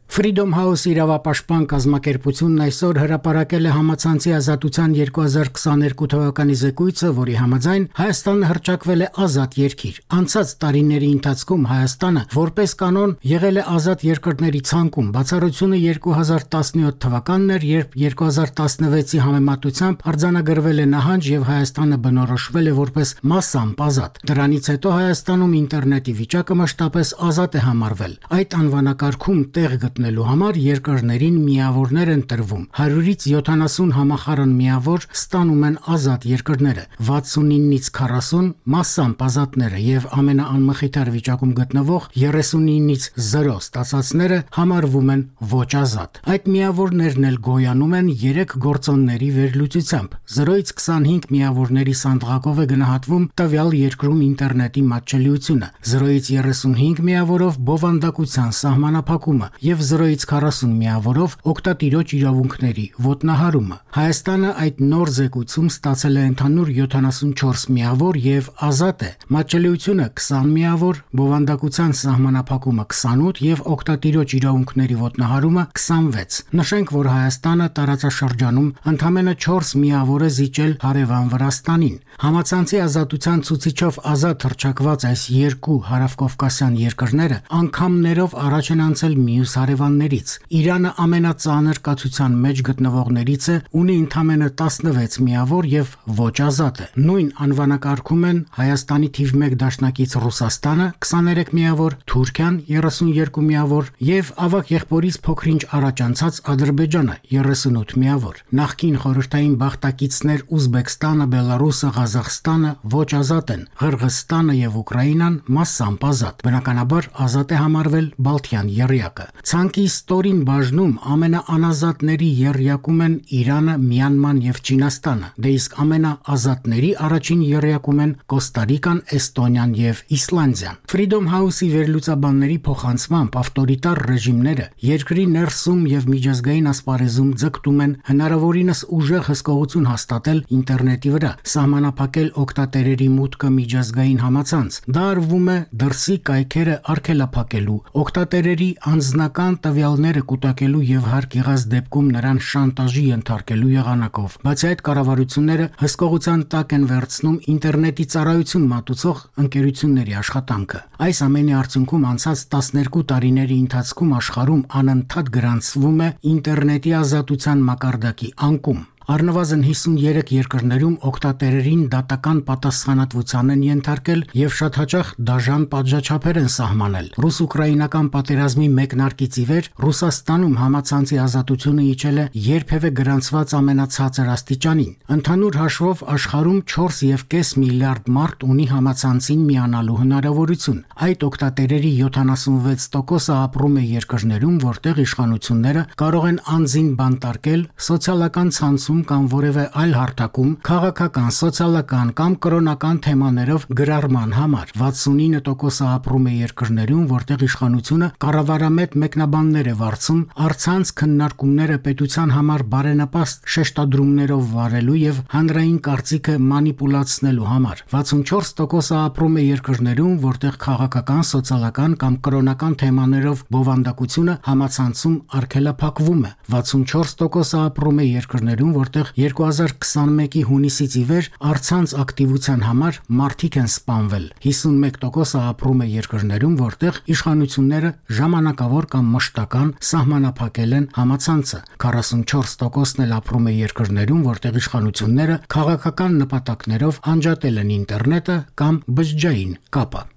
Freedom House իրավապաշտպան կազմակերպությունն այսօր հրապարակել է համացանցի ազատության երկու հազար քսաներկու թվականի զեկույցը, որի համաձայն Հայաստանը հռչակվել է ազատ երկիր։ Անցած տարիների ընթացքում Հայաստանը որպես կանոն եղել է ազատ երկրների ցանկում։ Բացառությունը երկու հազար տասնյոթ թվականն էր, երբ երկու հազար տասնվեցի համեմատությամբ արձանագրվել է նահանջ եւ Հայաստանը բնորոշվել է որպես մասամբ ազատ։ Դրանից հետո Հայաստանում ինտերնետի վիճակը մշտապես ազատ է համարվել։ Այդ անվանակարգում տեղ գտնելու համար երկրներին միավորներ են տրվում։ հարյուրից յոթանասուն համախառն միավոր ստանում են ազատ երկրները, վաթսունինից քառասուն մասամբ ազատները եւ ամենաանմխիթար վիճակում գտնվող երեսունինից զրո ստացածները համարվում են ոչ ազատ։ Այդ միավորներն էլ գոյանում են երեք գործոնների վերլուծությամբ։ զրոից քսանհինգ միավորների սանդղակով է գնահատվում տվյալ երկրում ինտերնետի մատչելիությունը, զրոից երեսունհինգ միավորով բովանդակության սահմանափակումը եւ զրոից քառասուն միավորով օգտատիրոջ իրավունքների ոտնահարումը։ Հայաստանը այդ նոր զեկույցում ստացել է ընդհանուր յոթանասունչորս միավոր եւ ազատ է։ Մատչելիությունը քսան միավոր, բովանդակության սահմանափակումը քսանութ եւ օգտատիրոջ իրավունքների ոտնահարումը քսանվեց։ Նշենք, որ Հայաստանը տարածաշրջանում ընդամենը չորս միավոր է զիջել հարևան Վրաստանին։ Համացանցի ազատության ցուցիչով ազատ հռչակված այս երկու հարավկովկասյան երկրները անգամներով առաջ են անցել մյուս հարևաններից։ Իրանը ամենածանր կացության մեջ գտնվողներից է, ունի ընդամենը տասնվեց միավոր եւ ոչ ազատ է։ Նույն անվանակարգում են Հայաստանի թիվ մեկ դաշնակից Ռուսաստանը քսաներեք միավոր, Թուրքիան երեսունյոթ միավոր եւ ավագ եղբորից փոքրինչ առաջ անցած Ադրբեջանը երեսունութ միավոր։ Նախկին խորհրդային բախտակիցներ Ուզբեկստանը, Բելարուսը, Ղազախստանը ոչ ազատ են, Ղրղըզստանը եւ Ուկրաինան մասամբ ազատ։ Բնականաբար ազատ է համարվել Բալթյան եռյակը։ Ցանկի ստորին բաժնում ամենաանազատների եռյակում են Իրանը, Մյանման եւ Չինաստանը, դե իսկ ամենաազատների առաջին եռյակում են Կոստարիկան, Էստոնիան եւ Իսլանդիան։ Freedom House-ի վերլուծաբանների փոխանցմամբ ավտորիտար ռեժիմները երկրի ներսում եւ միջազգային ասպարեզում ձգտում են հնարավորինս ուժեղ հսկողություն հաստատել ինտերնետի վրա, սահմանափակել օգտատերերի մուտքը միջազգային համացանց։ Դա արվում է դրսի կայքերը արգելափակելու, օգտատերերի անձնական տվյալները կուտակելու եւ հարկ եղած դեպքում նրան շանտաժի ենթարկելու եղանակով։ Բացի այդ, կառավարությունները հսկողության տակ են վերցնում ինտերնետի ծառայություն մատուցող ընկերությունների աշխատանքը։ Այս ամենի արդյունքում անցած տասներկու տարիների ընթացքում աշխարհում անընդհատ գրանցվում է ինտերնետի ազատության մակարդակի անկում։ Առնվազն հիսունյոթ երկրներում օգտատերերին դատական պատասխանատվության են ենթարկել եւ շատ հաճախ դաժան պատժաչափեր են սահմանել։ Ռուս-ուկրաինական պատերազմի մեկնարկից ի վեր Ռուսաստանում համացանցի ազատությունը իջել է երբևէ գրանցված ամենացածր աստիճանին։ Ընդհանուր հաշվով աշխարհում չորս եւ կես միլիարդ մարդ ունի համացանցին միանալու հնարավորություն։ Այդ օգտատերերի յոթանասունվեց տոկոսը ապրում է երկրներում, որտեղ իշխանությունները կարող են անձին բանտարկել սոցիալական ցանցում կամ որևէ այլ հարթակում քաղաքական, սոցիալական կամ կրոնական թեմաներով գրառման համար։ վաթսունինը տոկոսը ապրում է երկրներում, որտեղ իշխանությունը կառավարամետ մեկնաբաններ է վարձում առցանց քննարկումները պետության համար բարենպաստ շեշտադրումներով վարելու եւ հանրային կարծիքը մանիպուլացնելու համար։ վաթսունչորս տոկոսը ապրում է երկրներում, որտեղ քաղաքական, սոցիալական կամ կրոնական թեմաներով բովանդակությունը համացանցում արգելափակվում է։ վաթսունչորս տոկոսը ապրում է երկրներում, որտեղ երկու հազար քսանմեկի հունիսից ի վեր առցանց ակտիվության համար մարդիկ են սպանվել։ հիսունմեկ տոկոսը ապրում է երկրներում, որտեղ իշխանությունները ժամանակավոր կամ մշտական սահմանափակել են համացանցը։ քառասունչորս տոկոսն էլ ապրում է երկրներում, որտեղ իշխանությունները քաղաքական նպատակներով անջատել են ինտերնետը կամ բջջային կապը։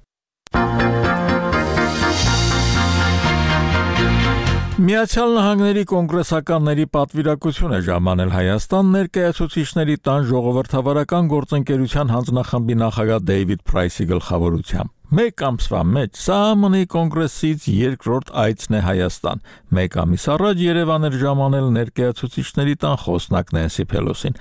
Միացյալ Նահանգների կոնգրեսականների պատվիրակություն է ժամանել Հայաստան ներկայացուցիչների տան ժողովրդավարական գործընկերության հանձնախմբի նախագահ Դեյվիդ Փրայսի գլխավորությամբ։ Մեկ ամսվա մեջ ՍԱՀՄ-ի կոնգրեսից երկրորդ այցն է Հայաստան։ Մեկ ամիս առաջ Երևան էր ժամանել ներկայացուցիչների տան խոսնակ Նենսի Փելոսին։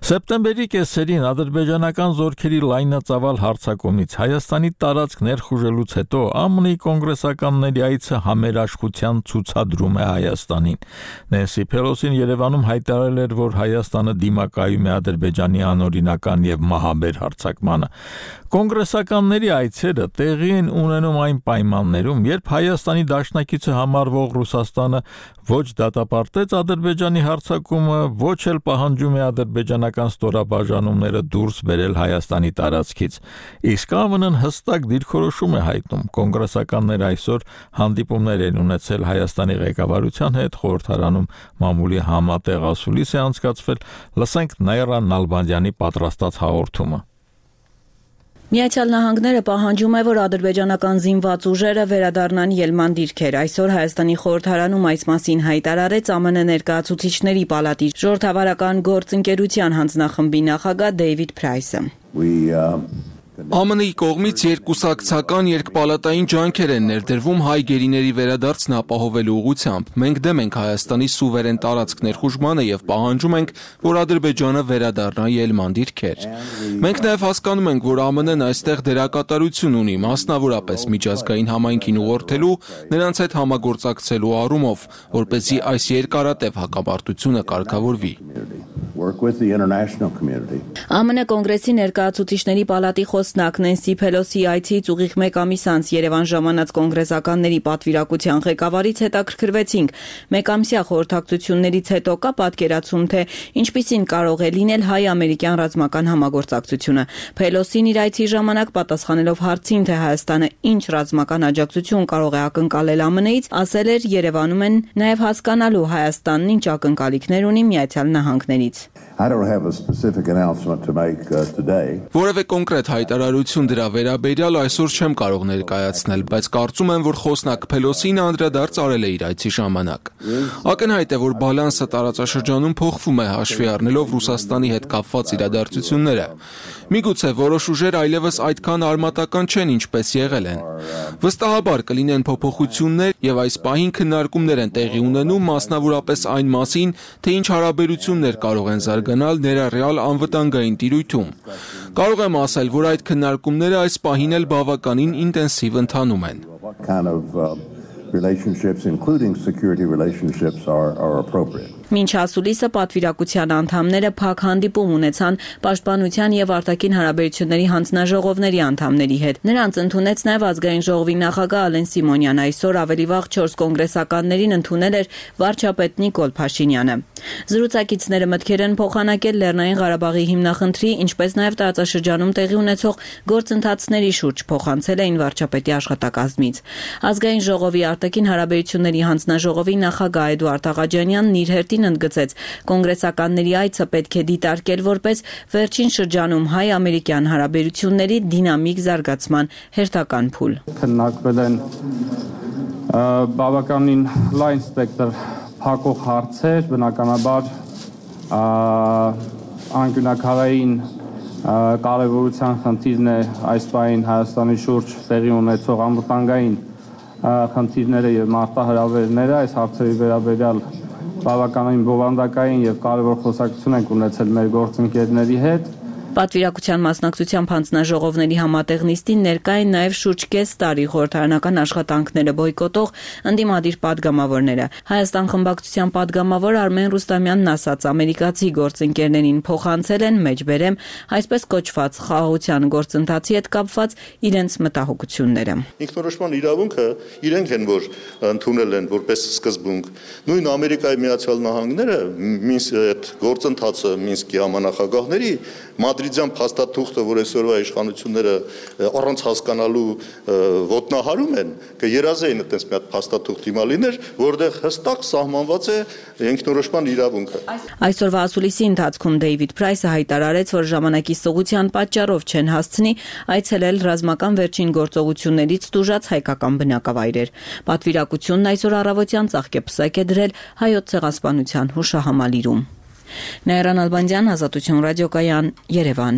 Սեպտեմբերի կեսերին ադրբեջանական զորքերի լայնածավալ հարձակումից Հայաստանի տարածք ներխուժելուց հետո ԱՄՆ-ի կոնգրեսականների այցը համերաշխության ցուցադրում է Հայաստանին։ Նենսի Փելոսին Երևանում հայտարարել էր, որ Հայաստանը դիմակայում է Ադրբեջանի անօրինական եւ մահաբեր հարձակմանը։ Կոնգրեսականների այցերը տեղի են ունենում այն պայմաններում, երբ Հայաստանի դաշնակիցը համարվող Ռուսաստանը ոչ դատապարտեց Ադրբեջանի հարձակումը, ոչ էլ պահանջում է ադրբեջանական ստորաբաժանումները դուրս բերել Հայաստանի տարածքից։ Իսկ Ա Վ Ն-ն հստակ դիրքորոշում է հայտնում։ Կոնգրեսականները այսօր հանդիպումներ են ունեցել Հայաստանի ղեկավարության հետ, խորհրդարանում մամուլի համատեղ ասուլիս է անցկացվել։ Լսենք Նաիրա Նալբանդյանի պատրաստած հաղորդումը։ Միացյալ Նահանգները պահանջում է, որ ադրբեջանական զինված ուժերը վերադառնան ելման դիրքեր։ Այսօր Հայաստանի խորհրդարանում այս մասին հայտարարեց Ա Մ Ն ներկայացուցիչների պալատի ժողովրդավարական գործընկերության հանձնախմբի նախագահ Դեյվիդ Փրայսը։ Ա Մ Ն-ի կողմից երկկուսակցական երկպալատային ջանքեր են ներդրվում հայ գերիների վերադարձն ապահովելու ուղղությամբ։ Մենք դեմ ենք Հայաստանի սուվերեն տարածք ներխուժմանը եւ պահանջում ենք, որ Ադրբեջանը վերադառնա ելման դիրքեր։ Մենք նաեւ հասկանում ենք, որ Ա Մ Ն-ն այստեղ դերակատարություն ունի, մասնավորապես միջազգային համայնքին ուղղորդելու, նրանց հետ համագործակցելու առումով, որպեսզի այս երկարատև հակամարտությունը կարգավորվի։ Ա Մ Ն կոնգրեսի ներկայացուցիչների պալատի խոսնակ Նենսի Փելոսի այցից ուղիղ մեկ ամիս անց Երևան ժամանած կոնգրեսականների պատվիրակության ղեկավարից հետաքրքրվեցինք։ Մեկամսյա խորհրդակցություններից հետո կա պատկերացում, թե ինչպիսին կարող է լինել հայ-ամերիկյան ռազմական համագործակցությունը։ Փելոսին իր այցի ժամանակ պատասխանելով հարցին, թե Հայաստանը ինչ ռազմական աջակցություն կարող է ակնկալել Ա Մ Ն-ից, ասել էր Երևանում են նաև հասկանալու Հայաստանն ինչ ակնկալիքներ ունի Միացյալ Նահանգներից։ Որևէ կոնկրետ հայտարարություն դրա վերաբերյալ այսօր չեմ կարող ներկայացնել, բայց կարծում եմ, որ խոսնակ Փելոսին անդրադարձ արել է իր այցի ժամանակ։ Ակնհայտ է, որ բալանսը տարածաշրջանում փոխվում է հաշվի առնելով Ռուսաստանի հետ կապված իրադարձությունները։ Միգուցե որոշ ուժեր այլևս այդքան արմատական չեն, ինչպես եղել են։ Վստահաբար կլինեն փոփոխություններ եւ այս պահին քննարկումներ են տեղի ունենում, մասնավորապես այն մասին, թե ինչ հարաբերություններ կարող են զարգանալ ներառյալ անվտանգային տիրույթում։ Կարող եմ ասել, որ այդ քննարկումները այս պահին էլ բավականին ինտենսիվ ընթանում են։ relationships, including security relationships, are, are appropriate. Մինչ ասուլիսը պատվիրակության անդամները փակ հանդիպում ունեցան պաշտպանության եւ արտաքին հարաբերությունների հանձնաժողովների անդամների հետ։ Նրանց ընդունեց նաեւ ազգային ժողովի նախագահ Ալեն Սիմոնյանը, այսօր ավելի վաղ չորս կոնգրեսականներին ընդունել էր վարչապետ Նիկոլ Փաշինյանը։ Զրուցակիցները մտքեր են փոխանակել Լեռնային Ղարաբաղի հիմնախնդրի, ինչպես նաեւ տարածաշրջանում տեղի ունեցող գործընթացների շուրջ, փոխանցել էին վարչապետի աշխատակազմից։ Ազգային ժողովի արտաքին հարաբերությունների հանձնաժողովի նախագահ Էդուարդ Աղաջանյանն իր հերթին ընդգծեց, կոնգրեսականների այցը պետք է դիտարկել որպես վերջին շրջանում հայ-ամերիկյան հարաբերությունների դինամիկ զարգացման հերթական փուլ։ Քննարկվել են բավականին լայն սպեկտր փակող հարցեր, բնականաբար անկյունակարային կարևորության խնդիրն է այս պահին Հայաստանի շուրջ տեղի ունեցող անվտանգային խնդիրները եւ մարտահրավերները, այս հարցերի վերաբերյալ բավականին բովանդակային եւ կարևոր խոսակցություն ենք ունեցել մեր գործընկերների հետ։ Պատվիրակության մասնակցությամբ հանձնաժողովների համատեղ նիստին ներկա են նաև շուրջ կես տարի խորհրդարանական աշխատանքները բոյկոտող ընդդիմադիր падգամավորները։ Հայաստան խմբակցության падգամավոր Արմեն Ռուստամյանն ասաց, ամերիկացի գործընկերներին փոխանցել են մեջբերեմ այսպես կոչված խաղաղության գործընթացի հետ կապված իրենց մտահոգությունները։ Ինքնորոշման իրավունքը իրենք են, որ ընդունել են որպես սկզբունք։ Նույն Ամերիկայի Միացյալ Նահանգները Մինսկի այդ գործընթացը Մինսկի համանախագահների Մադրիդյան փաստաթուղթը, որ այսօրվա իշխանությունները առանց հասկանալու ոտնահարում են, կերազեին այդպես մի հատ փաստաթուղթ հիմա լիներ, որտեղ հստակ սահմանված է ինքնորոշման իրավունքը։ Այսօրվա ասուլիսի ընթացքում Դեյվիդ Փրայսը հայտարարեց, որ ժամանակի սղության պատճառով չեն հասցնի այցելել ռազմական վերջին գործողություններից տուժած հայկական բնակավայրեր։ Պատվիրակությունն այսօր առավոտյան ծաղկեպսակ է դրել հայոց ցեղասպանության հուշահամալիրում։ Նաիրա Նալբանդյան, Ազատություն ռադիոկայան, Երևան։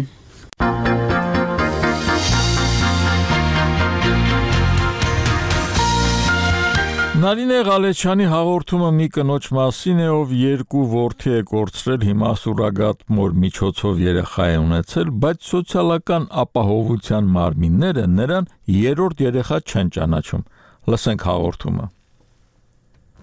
Նարինե Ղալեչյանի հաղորդումը մի կնոջ մասին է, ով երկու որդի է կորցրել, հիմա սուրագատ մոր միջոցով երեխա է ունեցել, բայց սոցիալական ապահովության մարմինները նրան երրորդ երեխա չեն ճանաչում։ Լսենք հաղորդումը։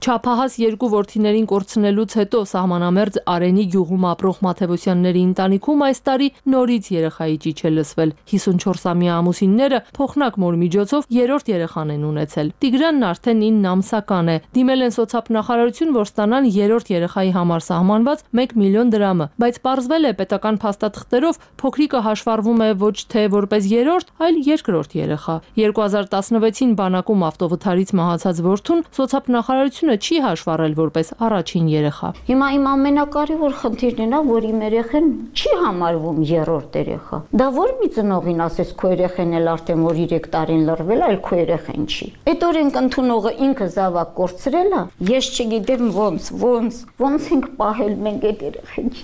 Չափահաս երկու որդիներին կորցնելուց հետո սահմանամերձ Արենի գյուղում ապրող Մաթևոսյանների ընտանիքում այս տարի նորից երեխայի ճիչ է լսվել։ հիսունչորսամյա ամուսինները փոխնակ մոր միջոցով երրորդ երեխան են ունեցել։ Տիգրանն արդեն ինը ամսական է։ Դիմել են սոցիալ-նախարարություն, որ ստանան երրորդ երեխայի համար սահմանված մեկ միլիոն դրամը, բայց պարզվել է պետական փաստաթղթերով փոքրիկը հաշվառվում է ոչ թե որպես երրորդ, այլ երկրորդ երեխա։ երկու հազար տասնվեցին բանակում ավտովթարից մահացած որդուն սոցիալ-նախարարությունը չի հաշվառել որպես առաջին երեխա։ Հիմա իմ ամենակարևոր խնդիրն է, որ իմ երեխան չի համարվում երրորդ երեխա։ Դա որ մի ծնողին ասես քո երեխան էլ արդեն որ երեք տարին լռվել, այլ քո երեխան չի։ Այդ օրենք ընդունողը ինքը զավակ կորցրել է, ես չգիտեմ ոնց, ոնց, ոնց ենք պահել մենք այդ երեխան։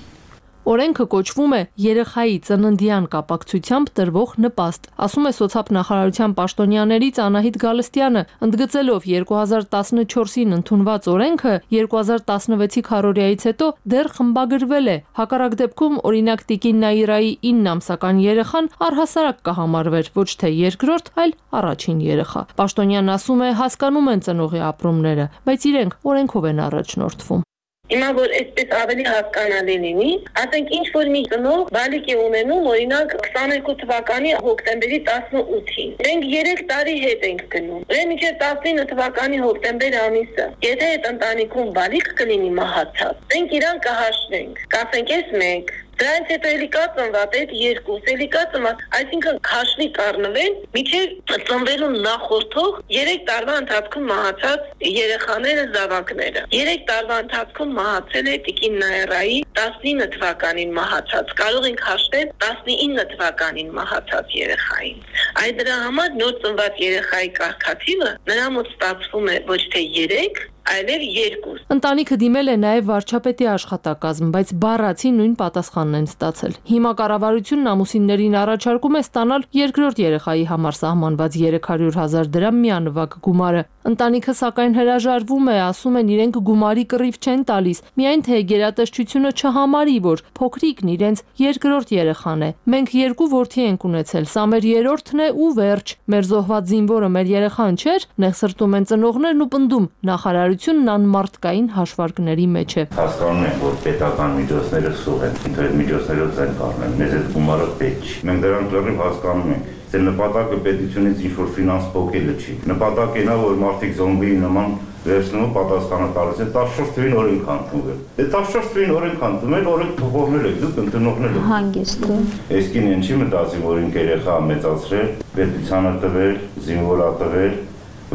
Օրենքը կոչվում է երեխայի ծննդյան կապակցությամբ տրվող նպաստ, ասում է սոցիալ-նախարարության պաշտոնյաներից Անահիտ Գալստյանը, ընդգծելով երկու հազար տասնչորսին ընդունված օրենքը երկու հազար տասնվեցի քառորիայից հետո դեռ խմբագրվել է։ Հակառակ դեպքում օրինակ Տիկին Նաիրայի ինը ամսական երեխան առհասարակ կհամարվեր ոչ թե երկրորդ, այլ առաջին երեխա։ Պաշտոնյանն ասում է հասկանում են ծնողի ապրումները, բայց իրենք օրենքով են առաջնորդվում։ Հիմա որ այսպես ավելի հասկանալի լինի, ասենք ինչ որ մի ծնող բալիկ է ունենում, օրինակ քսաներկու թվականի հոկտեմբերի տասնութին։ Մենք երեք տարի հետ ենք գնում։ Դե մինչև տասնինը թվականի հոկտեմբեր ամիսը, եթե այդ ընտանիքում բալիկ կլինի մահացած, մենք իրան կհաշվենք։ Կասենք էս մեկ Դրանից հետո էլի կա ծնված այդ երկուս, էլի կա ծնված, այսինքն քաշվի կառնվեն, միջև ծնվելուն նախորդող երեք տարվա ընթացքում մահացած երեխաները, զավակները։ երեք տարվա ընթացքում մահացել է Տիկին Նաիրայի տասնինը թվականին մահացած, կարող ենք հաշվել տասնինը թվականին մահացած երեխային։ Այդ դրա համար նոր ծնված երեխայի կարգաթիվը նրա մոտ ստացվում է ոչ թե երեք, այլև երկու։ Ընտանիքը դիմել է նաև վարչապետի աշխատակազմ, բայց բառացի նույն պատասխանն են ստացել։ Հիմա կառավարությունն ամուսիններին առաջարկում է ստանալ երկրորդ երեխայի համար սահմանված երեք հարյուր հազար դրամ միանվագ գումարը։ Ընտանիքը սակայն հրաժարվում է, ասում են իրենք գումարի կռիվ չեն տալիս, միայն թե գերատեսչությունը չհամարի, որ փոքրիկն իրենց երկրորդ երեխան է։ Մենք երկու որդի ենք ունեցել, սա մեր երրորդն է ու վերջ։ Մեր զոհված զինվորը մեր երեխան չէր, նեղսրտում են ծնողներն ու պնդում նախարարությունն անմարդկային հաշվարկների մեջ է։ Հասկանում ենք, որ պետական միջոցները սուղ են, ինքնուրույն միջոցներով են կառնել, մեզ այդ գումարը պետք չի։ Մենք դրանք լրիվ հասկանում ենք։ Ձեր նպատակը պետությունից ինչ-որ ֆինանս փոխելը չի։ Նպատակն է, որ մարդիկ զոմբիի նման վերցնում պատասխանը տալիս են տասնչորս թվին օրենք ընդունվել։ Դե տասնչորս թվին օրենք ընդունել, օրենք փոխողներ եք, դուք ընդունողներ եք։ Հանգիստ է։ Այսքին են չի մտածի, որ ինք երեխա մեծացրել, պետությանը տվել, զինվորա տվել,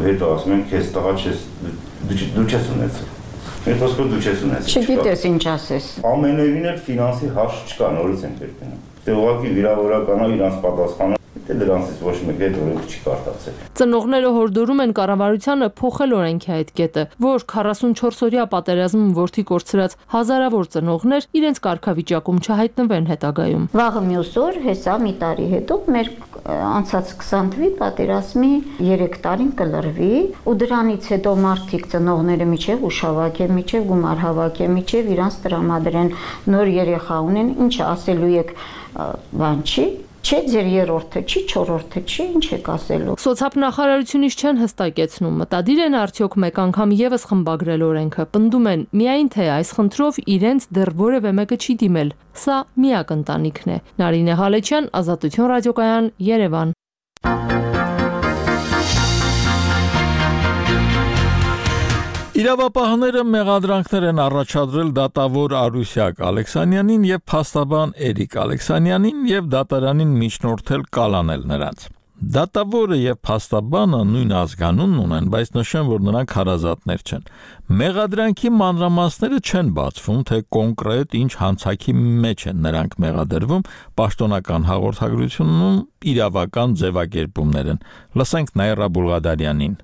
հետո ասում են, քեզ տղա չես դու չես ունեցել։ Մեր խոսքով դու չես ունեցել։ Չգիտես ինչ ասես։ Ամենևին էլ ֆինանսի հարց չկա, նորից են կերպենում։ Դե ուղղակի վիրավորականա իրանց պատասխանը Դե դրանից ոչ մեկ էլ օրենք չի կարտացել։ Ծնողները հորդորում են կառավարությանը փոխել օրենքի այդ կետը, որ քառասունչորսօրյա պատերազմում որդի կորցրած հազարավոր ծնողներ իրենց կարգավիճակում չհայտնվեն հետագայում։ Վաղը մյուս օր, հեսա մի տարի հետո մեր անցած քսան թվի պատերազմի երեք տարին կլրվի ու դրանից հետո մարդիկ ծնողները միջև ուշավակ է, միջև գումար հավաք է, միջև իրանց տրամադրեն նոր երեխա ունեն, ինչ ասելու եք, բան չի։ Չէ, ձեր երրորդը չի, չորրորդը չի, ինչ եք ասելու։ Սոցիալ-նախարարությունից չեն հստակեցնում, մտադիր են արդյոք մեկ անգամ եւս խմբագրել օրենքը, պնդում են միայն թե այս խնդրով իրենց դեռ որևէ մեկը չի դիմել։ Սա միակ ընտանիքն է։ Նարինե Հալեչյան, Ազատություն ռադիոկայան, Երևան։ Իրավապահները մեղադրանքներ են առաջադրել դատավոր Արուսյակ Ալեքսանյանին եւ փաստաբան Էրիկ Ալեքսանյանին եւ դատարանին միջնորդել կալանել նրանց։ Դատավորը եւ փաստաբանը նույն ազգանունն ունեն, բայց նշեն, որ նրանք հարազատներ չեն։ Մեղադրանքի մանրամասները չեն բացվում, թե կոնկրետ ինչ հանցակի մեջ են նրանք մեղադրվում, պաշտոնական հաղորդագրությունում իրավական ձևակերպումներ են։ Լսենք Նաիրա Բուլղադարյանին։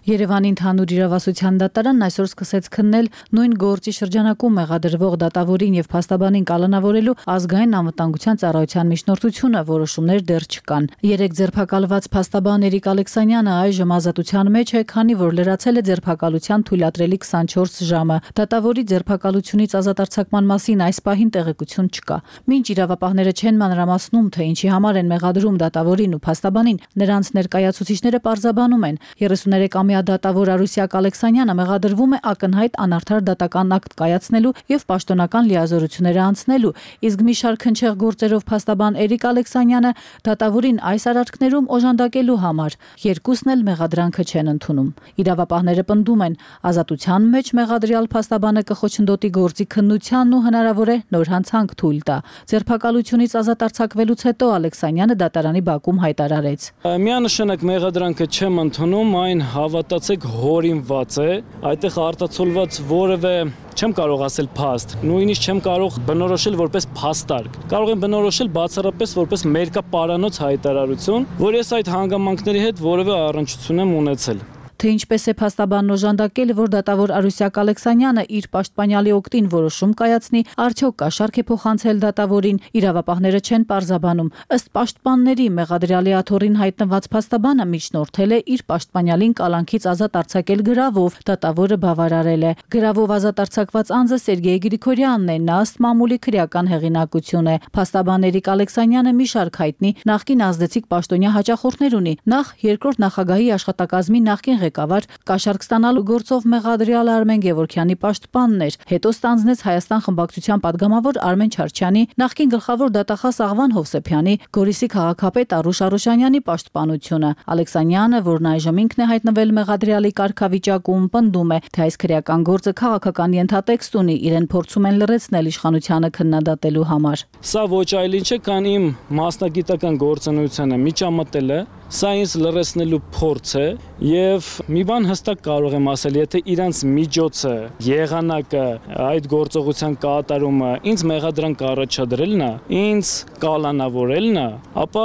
Երևանի ընդհանուր իրավասության դատարանն այսօր սկսեց քննել նույն գործի շրջանակում մեղադրվող դատավորին եւ փաստաբանին կալանավորելու ազգային անվտանգության ծառայության միջնորդությունը, որոշումներ դեռ չկան։ Երեք ձերբակալված փաստաբան Էրիկ Ալեքսանյանը այժմ ազատության մեջ է, քանի որ լրացել է ձերբակալության թույլատրելի քսանչորս ժամը։ Դատավորի ձերբակալությունից ազատարձակման մասին այս պահին տեղեկություն չկա։ Մինչ իրավապահները չեն մանրամասնում, թե ինչի համար են մեղադրում դատավորին ու փաստաբանին, նրանց ներկայացուցիչները պարզաբանում են երեսուներեք ամյա տարամյա դատավոր Արուսյակ Ալեքսանյանը մեղադրվում է ակնհայտ անարդար դատական ակտ կայացնելու եւ պաշտոնական լիազորությունները անցնելու, իսկ մի շարք հնչեղ գործերով փաստաբան Էրիկ Ալեքսանյանը դատավորին այս արարքներում օժանդակելու համար երկուսն էլ մեղադրանքը չեն ընդունում։ Իրավապահները պնդում են, ազատության մեջ մեղադրյալ փաստաբանը կխոչընդոտի գործի քննությանն ու հնարավոր է նոր հանցանք թույլ տա։ Ձերբակալությունից ազատ արձակվելուց հետո Ալեքսանյանը դատարանի բակում հայտարարեց. Միանշանակ մեղադրանքը չեմ ընդունում, այն հավատացեք հորինված է, այդտեղ արտացոլված որևէ չեմ կարող ասել փաստ, նույնիսկ չեմ կարող բնորոշել որպես փաստարկ։ Կարող եմ բնորոշել բացառապես որպես մերկապարանոց հայտարարություն, որ ես այդ հանգամանքների հետ որևէ առնչություն եմ ունեցել։ Թե ինչպես է փաստաբանն օժանդակել, որ դատավոր Արուսյակ Ալեքսանյանը իր պաշտպանյալի օգտին որոշում կայացնի, արդյոք կաշառք է փոխանցել դատավորին, իրավապահները չեն պարզաբանում։ Ըստ պաշտպանների մեղադրյալի աթոռին հայտնված փաստաբանը միջնորդել է իր պաշտպանյալին կալանքից ազատ արձակել գրավով, դատավորը բավարարել է։ Գրավով ազատ արձակված անձը Սերգեյ Գրիգորյանն է, նա ըստ մամուլի քրեական հեղինակություն է։ Փաստաբան Էրիկ Ալեքսանյանը մի շարք հայտնի նախկին ազդեցիկ պաշտոնյա հաճախորդներ ունի։ Նախ երկրորդ նախագահի աշխատակազմի նախկին ղեկավար, կաշառք ստանալու գործով մեղադրյալ Արմեն Գևորգյանի պաշտպանն էր, հետո ստանձնեց Հայաստան խմբակցության падգամավոր Արմեն Չարչյանի, նախկին գլխավոր դատախազ Աղվան Հովսեփյանի, Գորիսի քաղաքապետ Արուշ Արուշանյանի պաշտպանությունը։ Ալեքսանյանը, որն այժմ ինքն է հայտնվել մեղադրյալի կարգավիճակում, պնդում է, թե այս քրեական գործը քաղաքական ենթատեքստ ունի, իրեն փորձում են լրացնել իշխանությանը քննադատելու համար։ Սա ոչ այլ ինչ է, քան իմ մասնագիտական գործունեությանը միջամտել է, սա ինձ լրացնելու փորձ է եւ մի բան հստակ կարող եմ ասել, եթե իրանց միջոցը, եղանակը, այդ գործողության կատարումը ինձ մեղադրանք առաջադրելն է, ինձ կալանավորելն է, ապա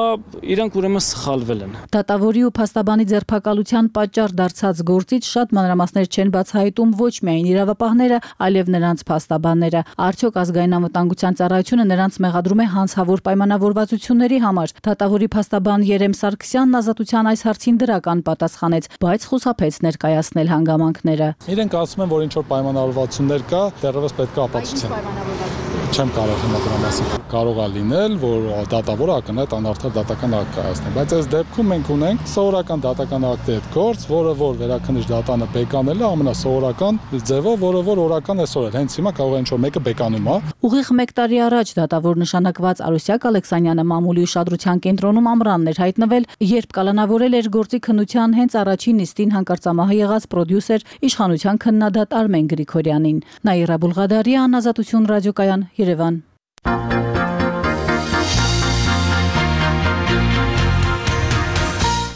իրանք ուրեմն սխալվել են։ Դատավորի ու փաստաբանի ձերբակալության պատճառ դարձած գործից շատ մանրամասներ չեն բացահայտում ոչ միայն իրավապահները, այլև նրանց փաստաբանները։ Արդյոք ազգային անվտանգության ծառայությունը նրանց մեղադրում է հանցավոր պայմանավորվածությունների համար։ Դատավորի փաստաբան Երեմ Սարգսյանն ազատության այս հարցին դրական պատասխանեց, բայց խուսափեց ներկայացնել հանգամանքները։ Իրենք ասում են, որ ինչ որ պայմանավորվածություններ կա, դեռևս պետք է ապացուցեն։ Չեմ կարող հիմա դրա մասին։ Կարող է լինել, որ դատավորը ակնհայտ անարդար դատական ակտ կայացնի, բայց այս դեպքում մենք ունենք սովորական դատական ակտի հետ գործ, որը որ վերաքննիչ դատանը բեկանել է ամենասովորական ձևով, որը որ օրական այսօր է։ Հենց հիմա կարող է ինչ որ մեկը բեկանում է։ Ուղիղ մեկ տարի առաջ դատավոր նշանակված Արուսյակ Ալեքսանյանը մամուլի ուշադրության կենտրոնում ամռանն էր հայտնվել, երբ կալանավորել էր գործի քննության հենց առաջին նիստին հանկարծամահ եղած պրոդյուսեր իշխանության քննադատ Արմեն Գրիգորյանին։ Նաիրա Բուլղադարյան, Ազատություն ռադիոկայան, Երևան։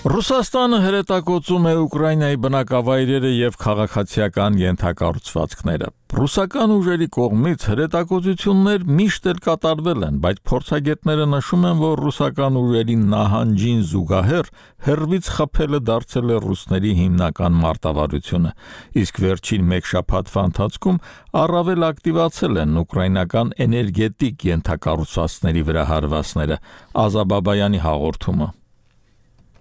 Ռուսաստանը հրետակոծում է Ուկրաինայի բնակավայրերը եւ քաղաքացիական ենթակառուցվածքները։ Ռուսական ուժերի կողմից հրետակոծություններ միշտ էլ կատարվել են, բայց փորձագետները նշում են, որ ռուսական ուժերի նահանջին զուգահեռ հերվից խփելը դարձել է ռուսների հիմնական մարտավարությունը, իսկ վերջին մեկ շաբաթվա ընթացքում առավել ակտիվացել են ուկրաինական էներգետիկ ենթակառուցվածքների վրա հարվածները։ Ազա Բաբայանի հաղորդումը։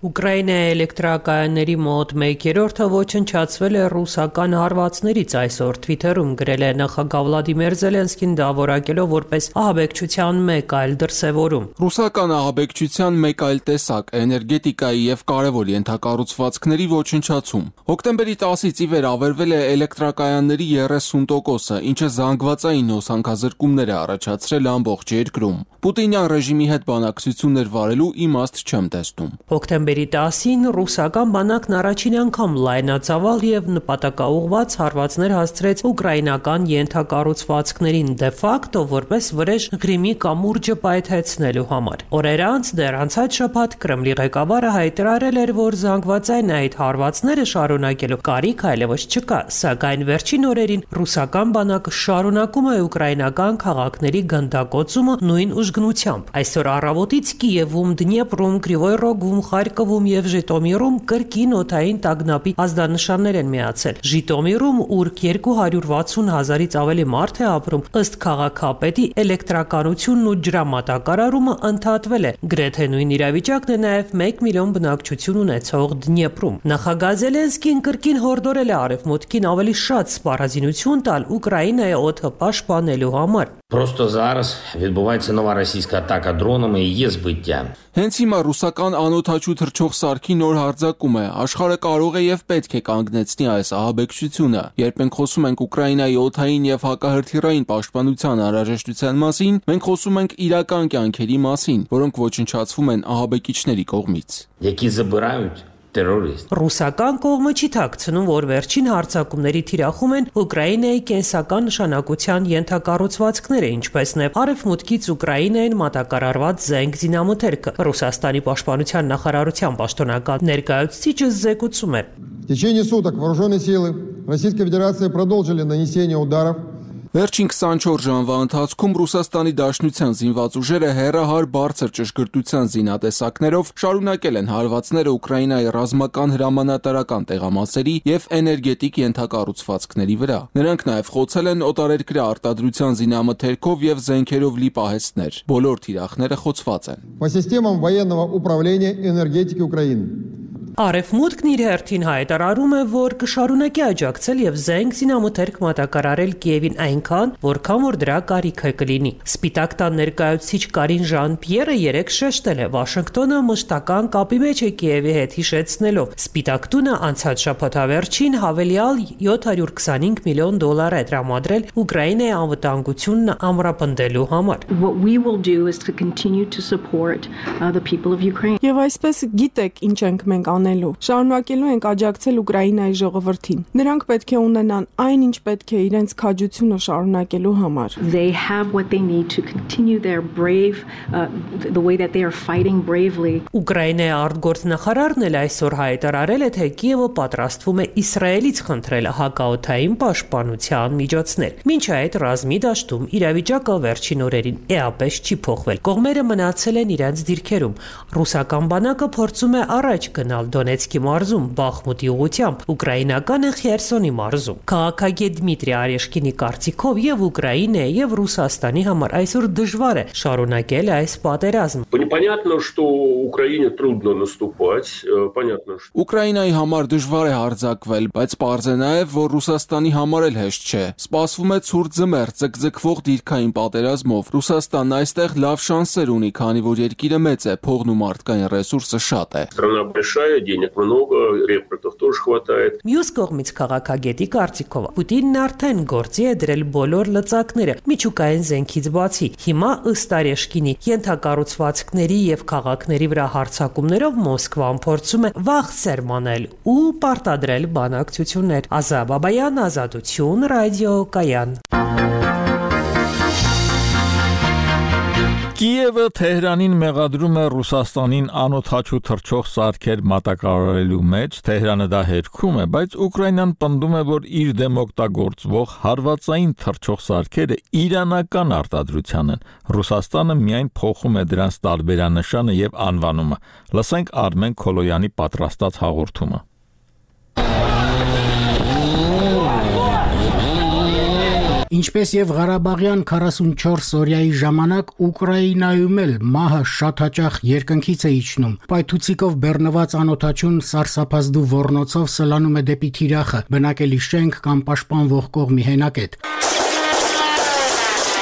Ուկրաինայի էլեկտրակայանների մոտ մեկ երրորդը ոչնչացվել է ռուսական հարվածներից, այսօր Թվիթերում գրել է նախագահ Վլադիմիր Զելենսկին, դա որակելով որպես ահաբեկչության մեկ այլ դրսևորում։ Ռուսական ահաբեկչության մեկ այլ տեսակ էներգետիկայի եւ կարևոր ենթակառուցվածքների ոչնչացում։ Հոկտեմբերի տասից ի վեր ավերվել է էլեկտրակայանների երեսուն տոկոսը, ինչը զանգվածային հոսանքազրկումներ է առաջացրել ամբողջ երկրում։ Պուտինյան ռեժիմի հետ բանակցություններ վարելու իմաստ չեմ տեսնում։ Հոկտեմբերի տասին ռուսական բանակն առաջին անգամ լայնածավալ եւ նպատակաուղղված հարվածներ հասցրեց ուկրաինական ենթակառուցվածքներին դե ֆակտո որպես վրեժ Ղրիմի կամուրջը պայթեցնելու համար։ Օրեր անց դեռ անցած շաբաթ Կրեմլի ղեկավարը հայտարարել էր, որ զանգվածային այդ հարվածները շարունակելու կարիք այլևս չկա, սակայն վերջին օրերին ռուսական բանակը շարունակում է ուկրաինական քաղաքների գնդակոծումը նույն ուժգնությամբ։ Այսօր առավոտից Կիևում, Դնեպրում, Կրիվոյ Ռոգում, Խարկովում եւ Ժիտոմիրում կրկին օդային տագնապի ազդանշաններ են միացել։ Ժիտոմիրում, ուր երկու հարյուր վաթսուն հազարից ավելի մարդ է ապրում, ըստ քաղաքապետի էլեկտրականությունն ու ջրամատակարարումը ընդհատվել է։ Գրեթե նույն իրավիճակն է նաեւ մեկ միլիոն բնակչություն ունեցող Դնեպրում։ Նախագահ Զելենսկին կրկին հորդորել է արևմուտքին ավելի շատ սպառազինություն տալ Ուկրաինայի օդը պաշտպանելու համար։ Просто зараз відбувається нова російська атака дронами і є збиття. Հենց հիմա ռուսական անօդաչու թռչող սարքի նոր հարձակում է, աշխարհը կարող է եւ պետք է կանգնեցնի այս ահաբեկչությունը։ Երբ մենք խոսում ենք Ուկրաինայի օդային եւ հակահրթիռային պաշտպանության անհրաժեշտության մասին, մենք խոսում ենք իրական կյանքերի մասին, որոնք ոչնչացվում են ահաբեկիչների կողմից։ Які забирають terrorist. Ռուսական կողմը չի թաքցնում, որ վերջին հարձակումների թիրախում են Ուկրաինայի կենսական նշանակության ենթակառուցվածքները, ինչպես նաև արևմուտքից Ուկրաինային մատակարարված զենք զինամթերքը։ Ռուսաստանի պաշտպանության նախարարության պաշտոնական ներկայացուցիչը զեկուցում է. В течение суток вооруженные силы Российской Федерации продолжили нанесение ударов. Վերջին քսանչորս ժամվա ընթացքում Ռուսաստանի Դաշնության զինված ուժերը հերահար բարձր ճշգրտության զինատեսակներով շարունակել են հարվածները Ուկրաինայի ռազմական հրամանատարական տեղամասերի եւ էներգետիկ ենթակառուցվածքների վրա։ Նրանք նաեւ խոցել են օտարերկրյա արտադրության զինամթերքով եւ զենքերով լի պահեստներ։ Բոլոր թիրախները խոցված են։ По системам военного управления энергетики Украины. Արևմուտքն իր հերթին հայտարարում է, որ կշարունակի աջակցել եւ զենք զինամթերք մատակարարել Կիևին այնքան, որքան որ դրա կարիքը կլինի։ Սպիտակ տան ներկայացուցիչ Կարին Ժան-Պիերը երեկ շեշտել է, Վաշինգտոնը մշտական կապի մեջ է Կիևի հետ, հիշեցնելով. Սպիտակ տունը անցած շաբաթավերջին հավելյալ յոթ հարյուր քսանհինգ միլիոն դոլար է տրամադրել Ուկրաինայի անվտանգությունն ամրապնդելու համար։ What we will do is to continue to support uh, the people of Ukraine. Եվ այսպես գիտեք ինչ ենք մենք անելու։ Շարունակելու ենք աջակցել Ուկրաինայի ժողովրդին։ Նրանք պետք է ունենան այն ինչ պետք է իրենց քաջությունը շարունակելու համար։ They have what they need to continue their brave uh, the way that they are fighting bravely. Ուկրաինայի արտգործնախարարն էլ այսօր հայտարարել է, թե Կիևը պատրաստվում է Իսրայելից խնդրել հակաօդային պաշտպանության միջոցներ։ Մինչ այդ ռազմի դաշտում իրավիճակը վերջին օրերին էապես չի փոխվել։ Կողմերը մնացել են իրենց դիրքերում։ Ռուսական բանակը փորձում է առաջ գնալ Դոնեցկի մարզում Բախմուտի ուղությամբ, ուկրաինականը Խերսոնի մարզում։ Քաղաքագետ Դմիտրի Արեշկինի կարծիքով եւ Ուկրաինայի եւ Ռուսաստանի համար այսօր դժվար է շարունակել այս պատերազմը։ Понятно, что Украине трудно наступать, понятно, что Ուկրաինայի համար դժվար է հարձակվել, բայց պարզ է նաեւ, որ Ռուսաստանի համար էլ հեշտ չէ։ Սպասվում է ցուրտ ձմեռ, ձգձգվող դիրքային պատերազմով։ Ռուսաստանն այստեղ լավ շանսեր ունի, քանի որ երկիրը մեծ է, փողն ու մարդկային ռեսուրսը շատ է։ Страна большая, денег много, рекрутов тоже хватает. Մյուս կողմից քաղաքագետի կարծիքով Պուտինն արդեն գործի է դրել բոլոր լծակները միջուկային զենքից բացի։ Հիմա ըստ Արեշկինի ենթակառուցվածքների եւ քաղաքների վրա հարձակումներով Մոսկվան փորձում է վաղ սերմանել ու պարտադրել բանակցություններ։ Ազա Բաբայան, Ազատություն, ռադիո Կայան։ Կիևը Թեհրանին մեղադրում է Ռուսաստանին անօդաչու թռչող սարքեր մատակարարելու մեջ, Թեհրանը դա հերքում է, բայց Ուկրաինան պնդում է, որ իր դեմ օգտագործվող հարվածային թռչող սարքերը իրանական արտադրության են։ Ռուսաստանը միայն փոխում է դրանց տարբերանշանը եւ անվանումը։ Լսենք Արմեն Քոլոյանի պատրաստած հաղորդումը։ Ինչպես եւ Ղարաբաղյան քառասունչորս օրյայի ժամանակ Ուկրաինայում էլ մահը շատ հաճախ երկնքից է իջնում։ Պայթուցիկով բեռնված անօդաչուն սարսափազդու ոռնոցով սլանում է դեպի թիրախը, բնակելի շենք կամ պաշտպանվող կողմի հենակետ։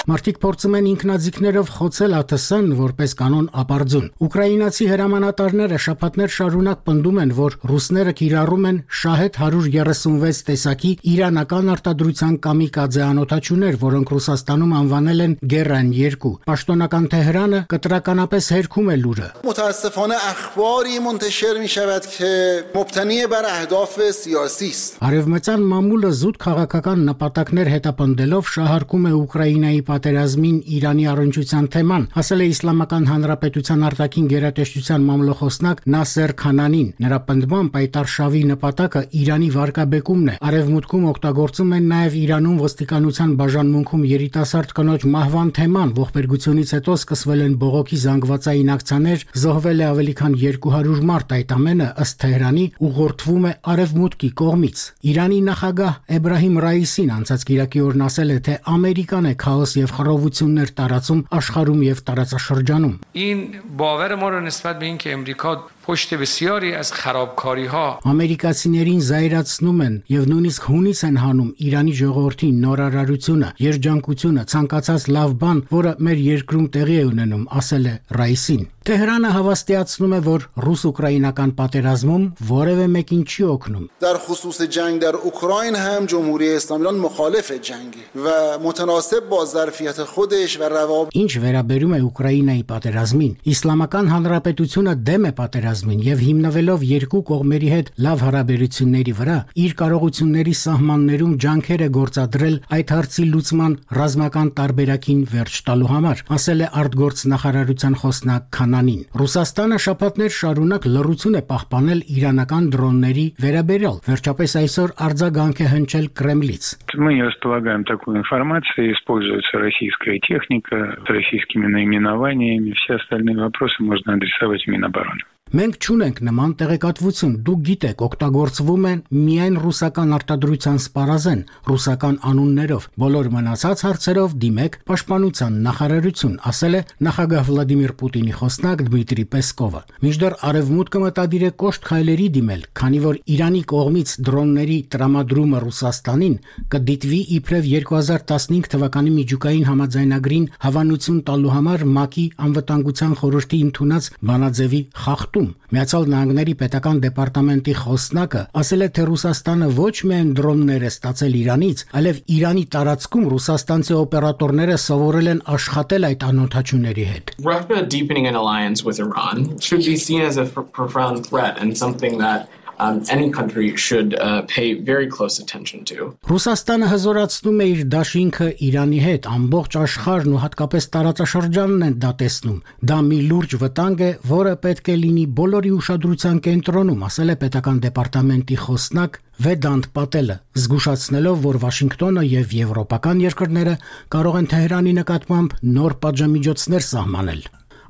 Մարդիկ փորձում են ինքնաձիգներով խոցել ԱԹՍ-ն որպես կանոն ապարդյուն։ Ուկրաինացի հրամանատարները շաբաթներ շարունակ պնդում են, որ ռուսները կիրառում են Շահեդ հարյուր երեսունվեց տեսակի իրանական արտադրության կամիկաձե անօդաչուներ, որոնք Ռուսաստանում անվանել են Գերան երկու։ Պաշտոնական Թեհրանը կտրականապես հերքում է լուրը։ متاسفانه اخباری منتشر میشود که مبتنی بر اهداف سیاسی است. Արևմտյան մամուլը զուտ քաղաքական նպատակներ հետապնդելով շահարկում է Ուկրաինայի պատերազմին Իրանի առնչության թեման, ասել է Իսլամական Հանրապետության արտաքին գերատեսչության մամլոխոսնակ Նասեր Քանանին։ Նրա պնդմամբ Պայտարշավի նպատակը Իրանի վարկաբեկումն է։ Արևմուտքում օգտագործում են նաև Իրանում ոստիկանության բաժանմունքում երիտասարդ կնոջ մահվան թեման, ողբերգությունից հետո սկսվել են բողոքի զանգվածային ակցիաներ, զոհվել է ավելի քան երկու հարյուր մարդ, այդ ամենը ըստ Թեհրանի ուղղորդվում է Արևմուտքի կողմից։ Իրանի նախագահ Էբրահիմ Ռայիսին անցած կիրակի օրն ասել է, թե Ամերիկան է քաոս եւ խռովություններ տարածում աշխարհում եւ տարածաշրջանում։ این باور ما رو نسبت به اینکه امریکا پشت بسیاری از خرابکاری‌ها Ամերիկացիներին զայրացնում են եւ նույնիսկ հունիս են հանում Իրանի ժողովրդի նորարարությունը, երջանկությունը, ցանկացած լավ բան, որը մեր երկրում տեղի է ունենում, ասել է Ռայիսին։ Թեհրանը հավաստիացնում է, որ ռուս-ուկրաինական պատերազմում որևէ մեկին չի օգնում։ در خصوص جنگ در اوکراین هم جمهوری اسلامی ایران مخالف جنگه و متناسب با ظرفیت خودش و روابط Ինչ վերաբերում է Ուկրաինայի պատերազմին, Իսլամական Հանրապետությունը դեմ է պատերազմին եւ հիմնվելով երկու կողմերի հետ լավ հարաբերությունների վրա, իր կարողությունների սահմաններում ջանքեր է գործադրել այդ հարցի լուծման ռազմական տարբերակին վերջ տալու համար, ասել է արտգործնախարարության խոսնակ Քանանին։ Ռուսաստանը շաբաթներ շարունակ լռություն է պահպանել իրանական դրոնների վերաբերյալ, վերջապես այսօր արձագանք է հնչել Կրեմլից։ Мы не располагаем такой информацией, используется российская техника с российскими наименованиями, все остальные вопросы можно адресовать в Минобороны. Մենք չունենք նման տեղեկատվություն, դուք գիտեք, օգտագործվում են միայն ռուսական արտադրության սպառազեն, ռուսական անուններով, բոլոր մնացած հարցերով դիմեք Պաշտպանության նախարարություն, ասել է նախագահ Վլադիմիր Պուտինի խոսնակ Դմիտրի Պեսկովը։ Մինչդեռ Արևմուտքը մտադիր է կոշտ քայլերի դիմել, քանի որ Իրանի կողմից դրոնների տրամադրումը Ռուսաստանին կդիտվի իբրև երկու հազար տասնհինգ թվականի միջուկային համաձայնագրին հավանություն տալու համար ՄԱԿ-ի անվտանգության խորհրդի ընդունած բանաձևի խախտում։ Միացյալ Նահանգների պետական դեպարտամենտի խոսնակը ասել է, թե Ռուսաստանը ոչ միայն դրոններ է ստացել Իրանից, այլև Իրանի տարածքում ռուսաստանցի օպերատորները սովորել են աշխատել այդ անօթաչուների հետ։ Russia deepening an alliance with Iran should be seen as a profound threat and something that Um, any country should uh, pay very close attention to. Ռուսաստանը հզորացնում է իր դաշինքը Իրանի հետ, ամբողջ աշխարհն ու հատկապես տարածաշրջանն են դա տեսնում։ Դա մի լուրջ վտանգ է, որը պետք է լինի բոլորի ուշադրության կենտրոնում, ասել է պետական դեպարտամենտի խոսնակ Վեդանտ Պատելը, զգուշացնելով, որ Վաշինգտոնը եւ եվրոպական երկրները կարող են Թեհրանի նկատմամբ նոր պատժամիջոցներ սահմանել։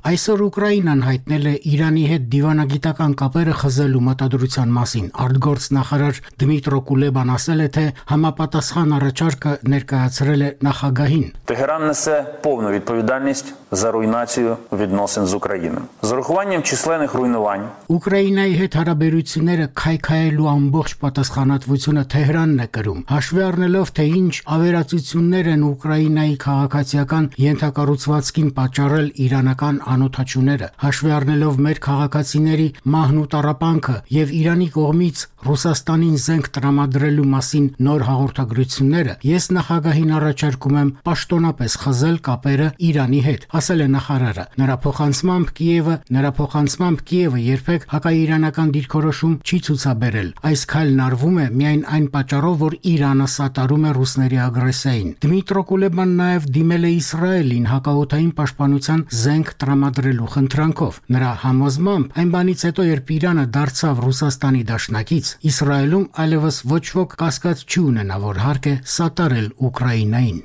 Այսօր Ուկրաինան հայտնել է Իրանի հետ դիվանագիտական կապերը խզելու մտադրության մասին։ Արտգործնախարար Դմիտրո Կուլեբան ասել է, թե համապատասխան առաջարկը ներկայացրել է նախագահին։ Тегеран несе повну відповідальність за руйнацію відносин з Україною. З урахуванням численних руйнувань Ուկրաինայի հետ հարաբերությունները քայքայելու ամբողջ պատասխանատվությունը Թեհրանն է կրում։ Հաշվի առնելով, թե ինչ ավերածություններ են Ուկրաինայի քաղաքացիական ենթակառուցվածքին պատճառել իրանական անօթաչուները, հաշվի առնելով մեր քաղաքացիների մահն ու տառապանքը եւ Իրանի կողմից Ռուսաստանին զենք տրամադրելու մասին նոր հաղորդագրությունները, ես նախագահին առաջարկում եմ պաշտոնապես խզել կապերը Իրանի հետ, ասել է նախարարը։ Նրա փոխանցմամբ Կիևը, նրա փոխանցմամբ Կիևը երբեք հակաիրանական դիրքորոշում չի ցուցաբերել։ Այս քայլն արվում է միայն այն պատճառով, որ Իրանը սատարում է ռուսների ագրեսիային։ Դմիտրո Կուլեբան նաեւ դիմել է Իսրայելին հակաօդային պաշտպանության զենք տրամադրելու խնդրանքով։ Նրա համոզմամբ այն բանից հետո, երբ Իրանը դարձավ Ռուսաստանի դաշնակից, Իսրայելում այլևս ոչ ոք կասկած չի ունենա, որ հարկ է սատարել Ուկրաինային։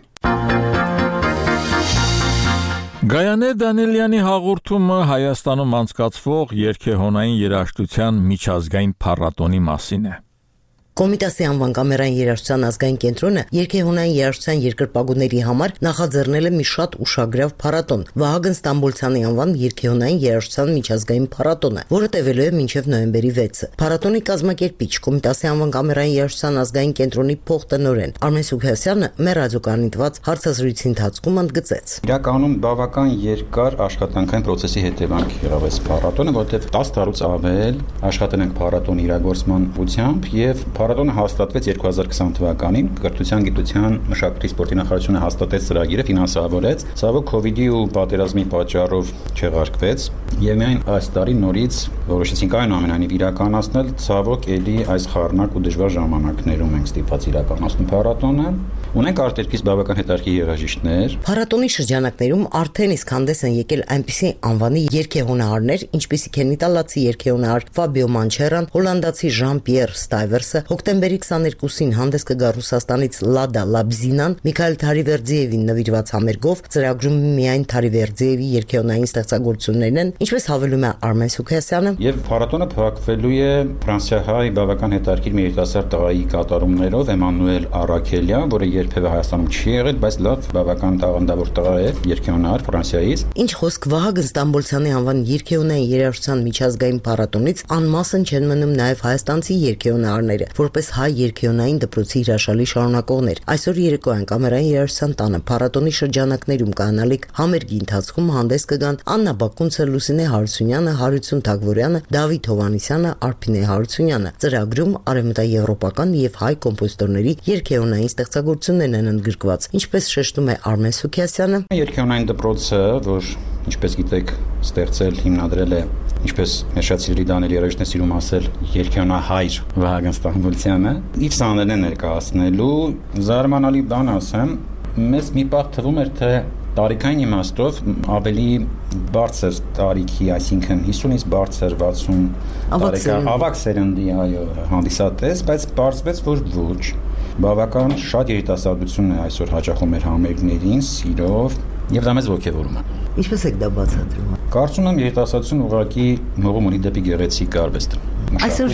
Գայանե Դանիելյանի հաղորդումը Հայաստանում անցկացվող երգեհոնային երաժշտության միջազգային փառատոնի մասին է։ Կոմիտասի անվան կամերային երաժշտության ազգային կենտրոնը երգեհոնային երաժշտության երկրպագուների համար նախաձեռնել է մի շատ ուշագրավ փառատոն՝ Վահագն Ստամբոլցյանի անվան երգեհոնային երաժշտության միջազգային փառատոնը, որը տևելու է մինչև նոյեմբերի վեցը։ Փառատոնի կազմակերպիչ Կոմիտասի անվան կամերային երաժշտության ազգային կենտրոնի փոխտնօրեն Արմեն Սուքասյանը մեր ռադիոկայանի տված հարցազրույցի ընթացքում ընդգծեց. Իրականում բավական երկար աշխատանքային process-ի հետևանք եղավ այս փառատոնը, որտեղ տասը տարուց ավել աշխատել ենք փառատոնի իրագործման ուղղությամբ եւ Փառատոնը հաստատվեց երկու հազար քսան թվականին, Կրթության, գիտության, մշակույթի, սպորտի նախարարությունը հաստատեց ծրագիրը, ֆինանսավորեց, ցավոք քովիդի ու պատերազմի պատճառով չեղարկվեց, եւ միայն այս տարի նորից որոշեցինք այնուամենայնիվ իրականացնել, ցավոք ելի այս խառնակ ու դժվար ժամանակներում ենք ստիպված իրականացնում փառատոնը։ Ունենք արտերկից բավական հետաքրքիր երաժիշտներ։ Փառատոնի շրջանակներում արդեն իսկ հանդես են եկել այնպիսի անվանի երգեհոնահարներ, ինչպիսիք են իտալացի երգեհոնահար Ֆաբիո Մանչերան, հոլանդացի Ժան-Պիեր Ստայվերսը, հոկտեմբերի քսաներկուսին հանդես կգա Ռուսաստանից Լադա Լաբզինան, Միքայել Թարիվերդիևին նվիրված համերգով, ծրագրում միայն Թարիվերդիևի երգեհոնային ստեղծագործություններն են, ինչպես հավելում է Արմեն Սուքասյանը։ Եվ փառատոնը փակվելու է ֆրանսիահայ բավական հետաքրքիր մի երիտասարդ տղայի կատարումներով Էմանուել Արաքելյան, որը երբևէ Հայաստանում չի եղել, բայց լավ բավական տաղանդավոր տղա է, երգեհոնար Ֆրանսիայից։ Ինչ խոսք Վահագն Ստամբոլցյանի անվան երգեհոնային երաժշտության միջազգային փառատոնից անմասն չեն մնում նաև հայաստանցի երգեհոնարները, որպես հայ երգեհոնային դպրոցի հրաշալի շարունակողներ։ Այսօր երեկոյան կամերային երաժշտության տանը փառատոնի շրջանակներում կանալիք համերգի ընթացքում հանդես կգան Աննա Բակունցը, Լուսինե Հարությունյանը, Հարություն Թագվորյանը, Դավիթ Հովհաննիսյանը, Արփինե Հարությունյանը։ Ծրագրում արևմտաեվրոպական եւ հայ կոմպոզիտորների երգեհոնային ստեղծագործություններն են ընդգրկված, ինչպես շեշտում է Արմեն Սուքիասյանը։ Երգեհոնային դպրոցը, որ ինչպես գիտեք, ստեղծել հիմնադրել է, ինչպես շատ սիրելի Դանիել երաժիշտն է սիրում ասել, երգեհոնահայր Վահագն Ստամբոլցյանը, իր սաներն է ներկայացնելու, զարմանալի բան ասեմ, մեզ մի պահ թվում էր, թե տարիքային իմաստով ավելի բարձր տարիքի, այսինքն հիսունից բարձր վաթսուն տարեկան ավագ սերնդի, այո, հանդիսատես, բայց պարզվեց, որ ոչ, բավական շատ երիտասարդություն է այսօր հաճախում մեր համերգներին, սիրով, եւ դա մեզ ոգևորում է։ Ինչպես եք դա բացատրում։ Կարծում եմ երիտասարդություն ուղղակի մղում ունի դեպի գեղեցիկ արվեստ։ Այսօր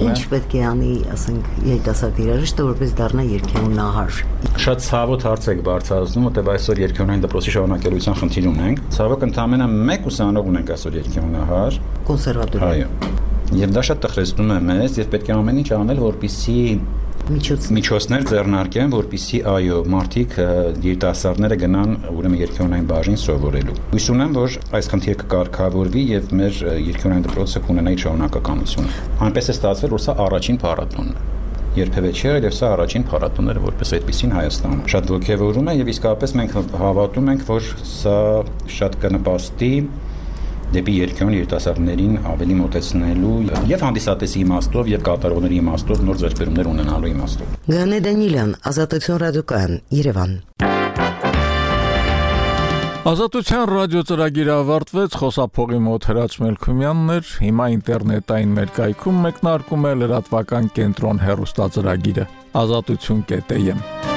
ինչ պետք է անի, ասենք, երիտասարդ երաժիշտը, որպես դառնա երգեհոնահար։ Շատ ցավոտ հարց եք բարձրացնում, որտեղ այսօր երգեհոնային դպրոցի շարունակելիության խնդիր ունենք։ Ցավոք ընդամենը մեկ ուսանող ունենք այսօր երգեհոնահար կոնսերվատորիա։ Այո։ Եվ դա շատ տխրեցնում է մեզ, եւ պետք է ամեն ինչ անել, որպեսզի միջոցներ ձեռնարկեն, որպեսզի այո, մարդիկ երիտասարդները գնան ուրեմն երգեհոնային բաժին սովորելու։ Հույս ունեմ, որ այս խնդիրը կկարգավորվի եւ մեր երգեհոնային դպրոցը կունենա իր շարունակականություն։ Այնպես է ստացվել, որ սա առաջին փառատոնն է։ Երբևէ չի եղել եւ սա առաջին փառատոնները որպես այդպեսին Հայաստանում։ Շատ ողջևորում է եւ իսկապես մենք հավատում ենք, որ սա շատ կնպաստի դեպի երգեհոն երիտասարդներին ավելի մոտեցնելու եւ հանդիսատեսի իմաստով եւ կատարողների իմաստով նոր ձեռքբերումներ ունենալու իմաստով։ Գանե Դանիելյան, Ազատություն ռադիոկայան, Երևան։ Ազատության ռադիո ծրագիրը ավարտվեց, խոսափողի մոտ Հրաչ Մելքումյանն էր, հիմա ինտերնետային մեր կայքում մեկնարկում է լրատվական կենտրոն հեռուստածրագիրը ազատություն կետ էմ։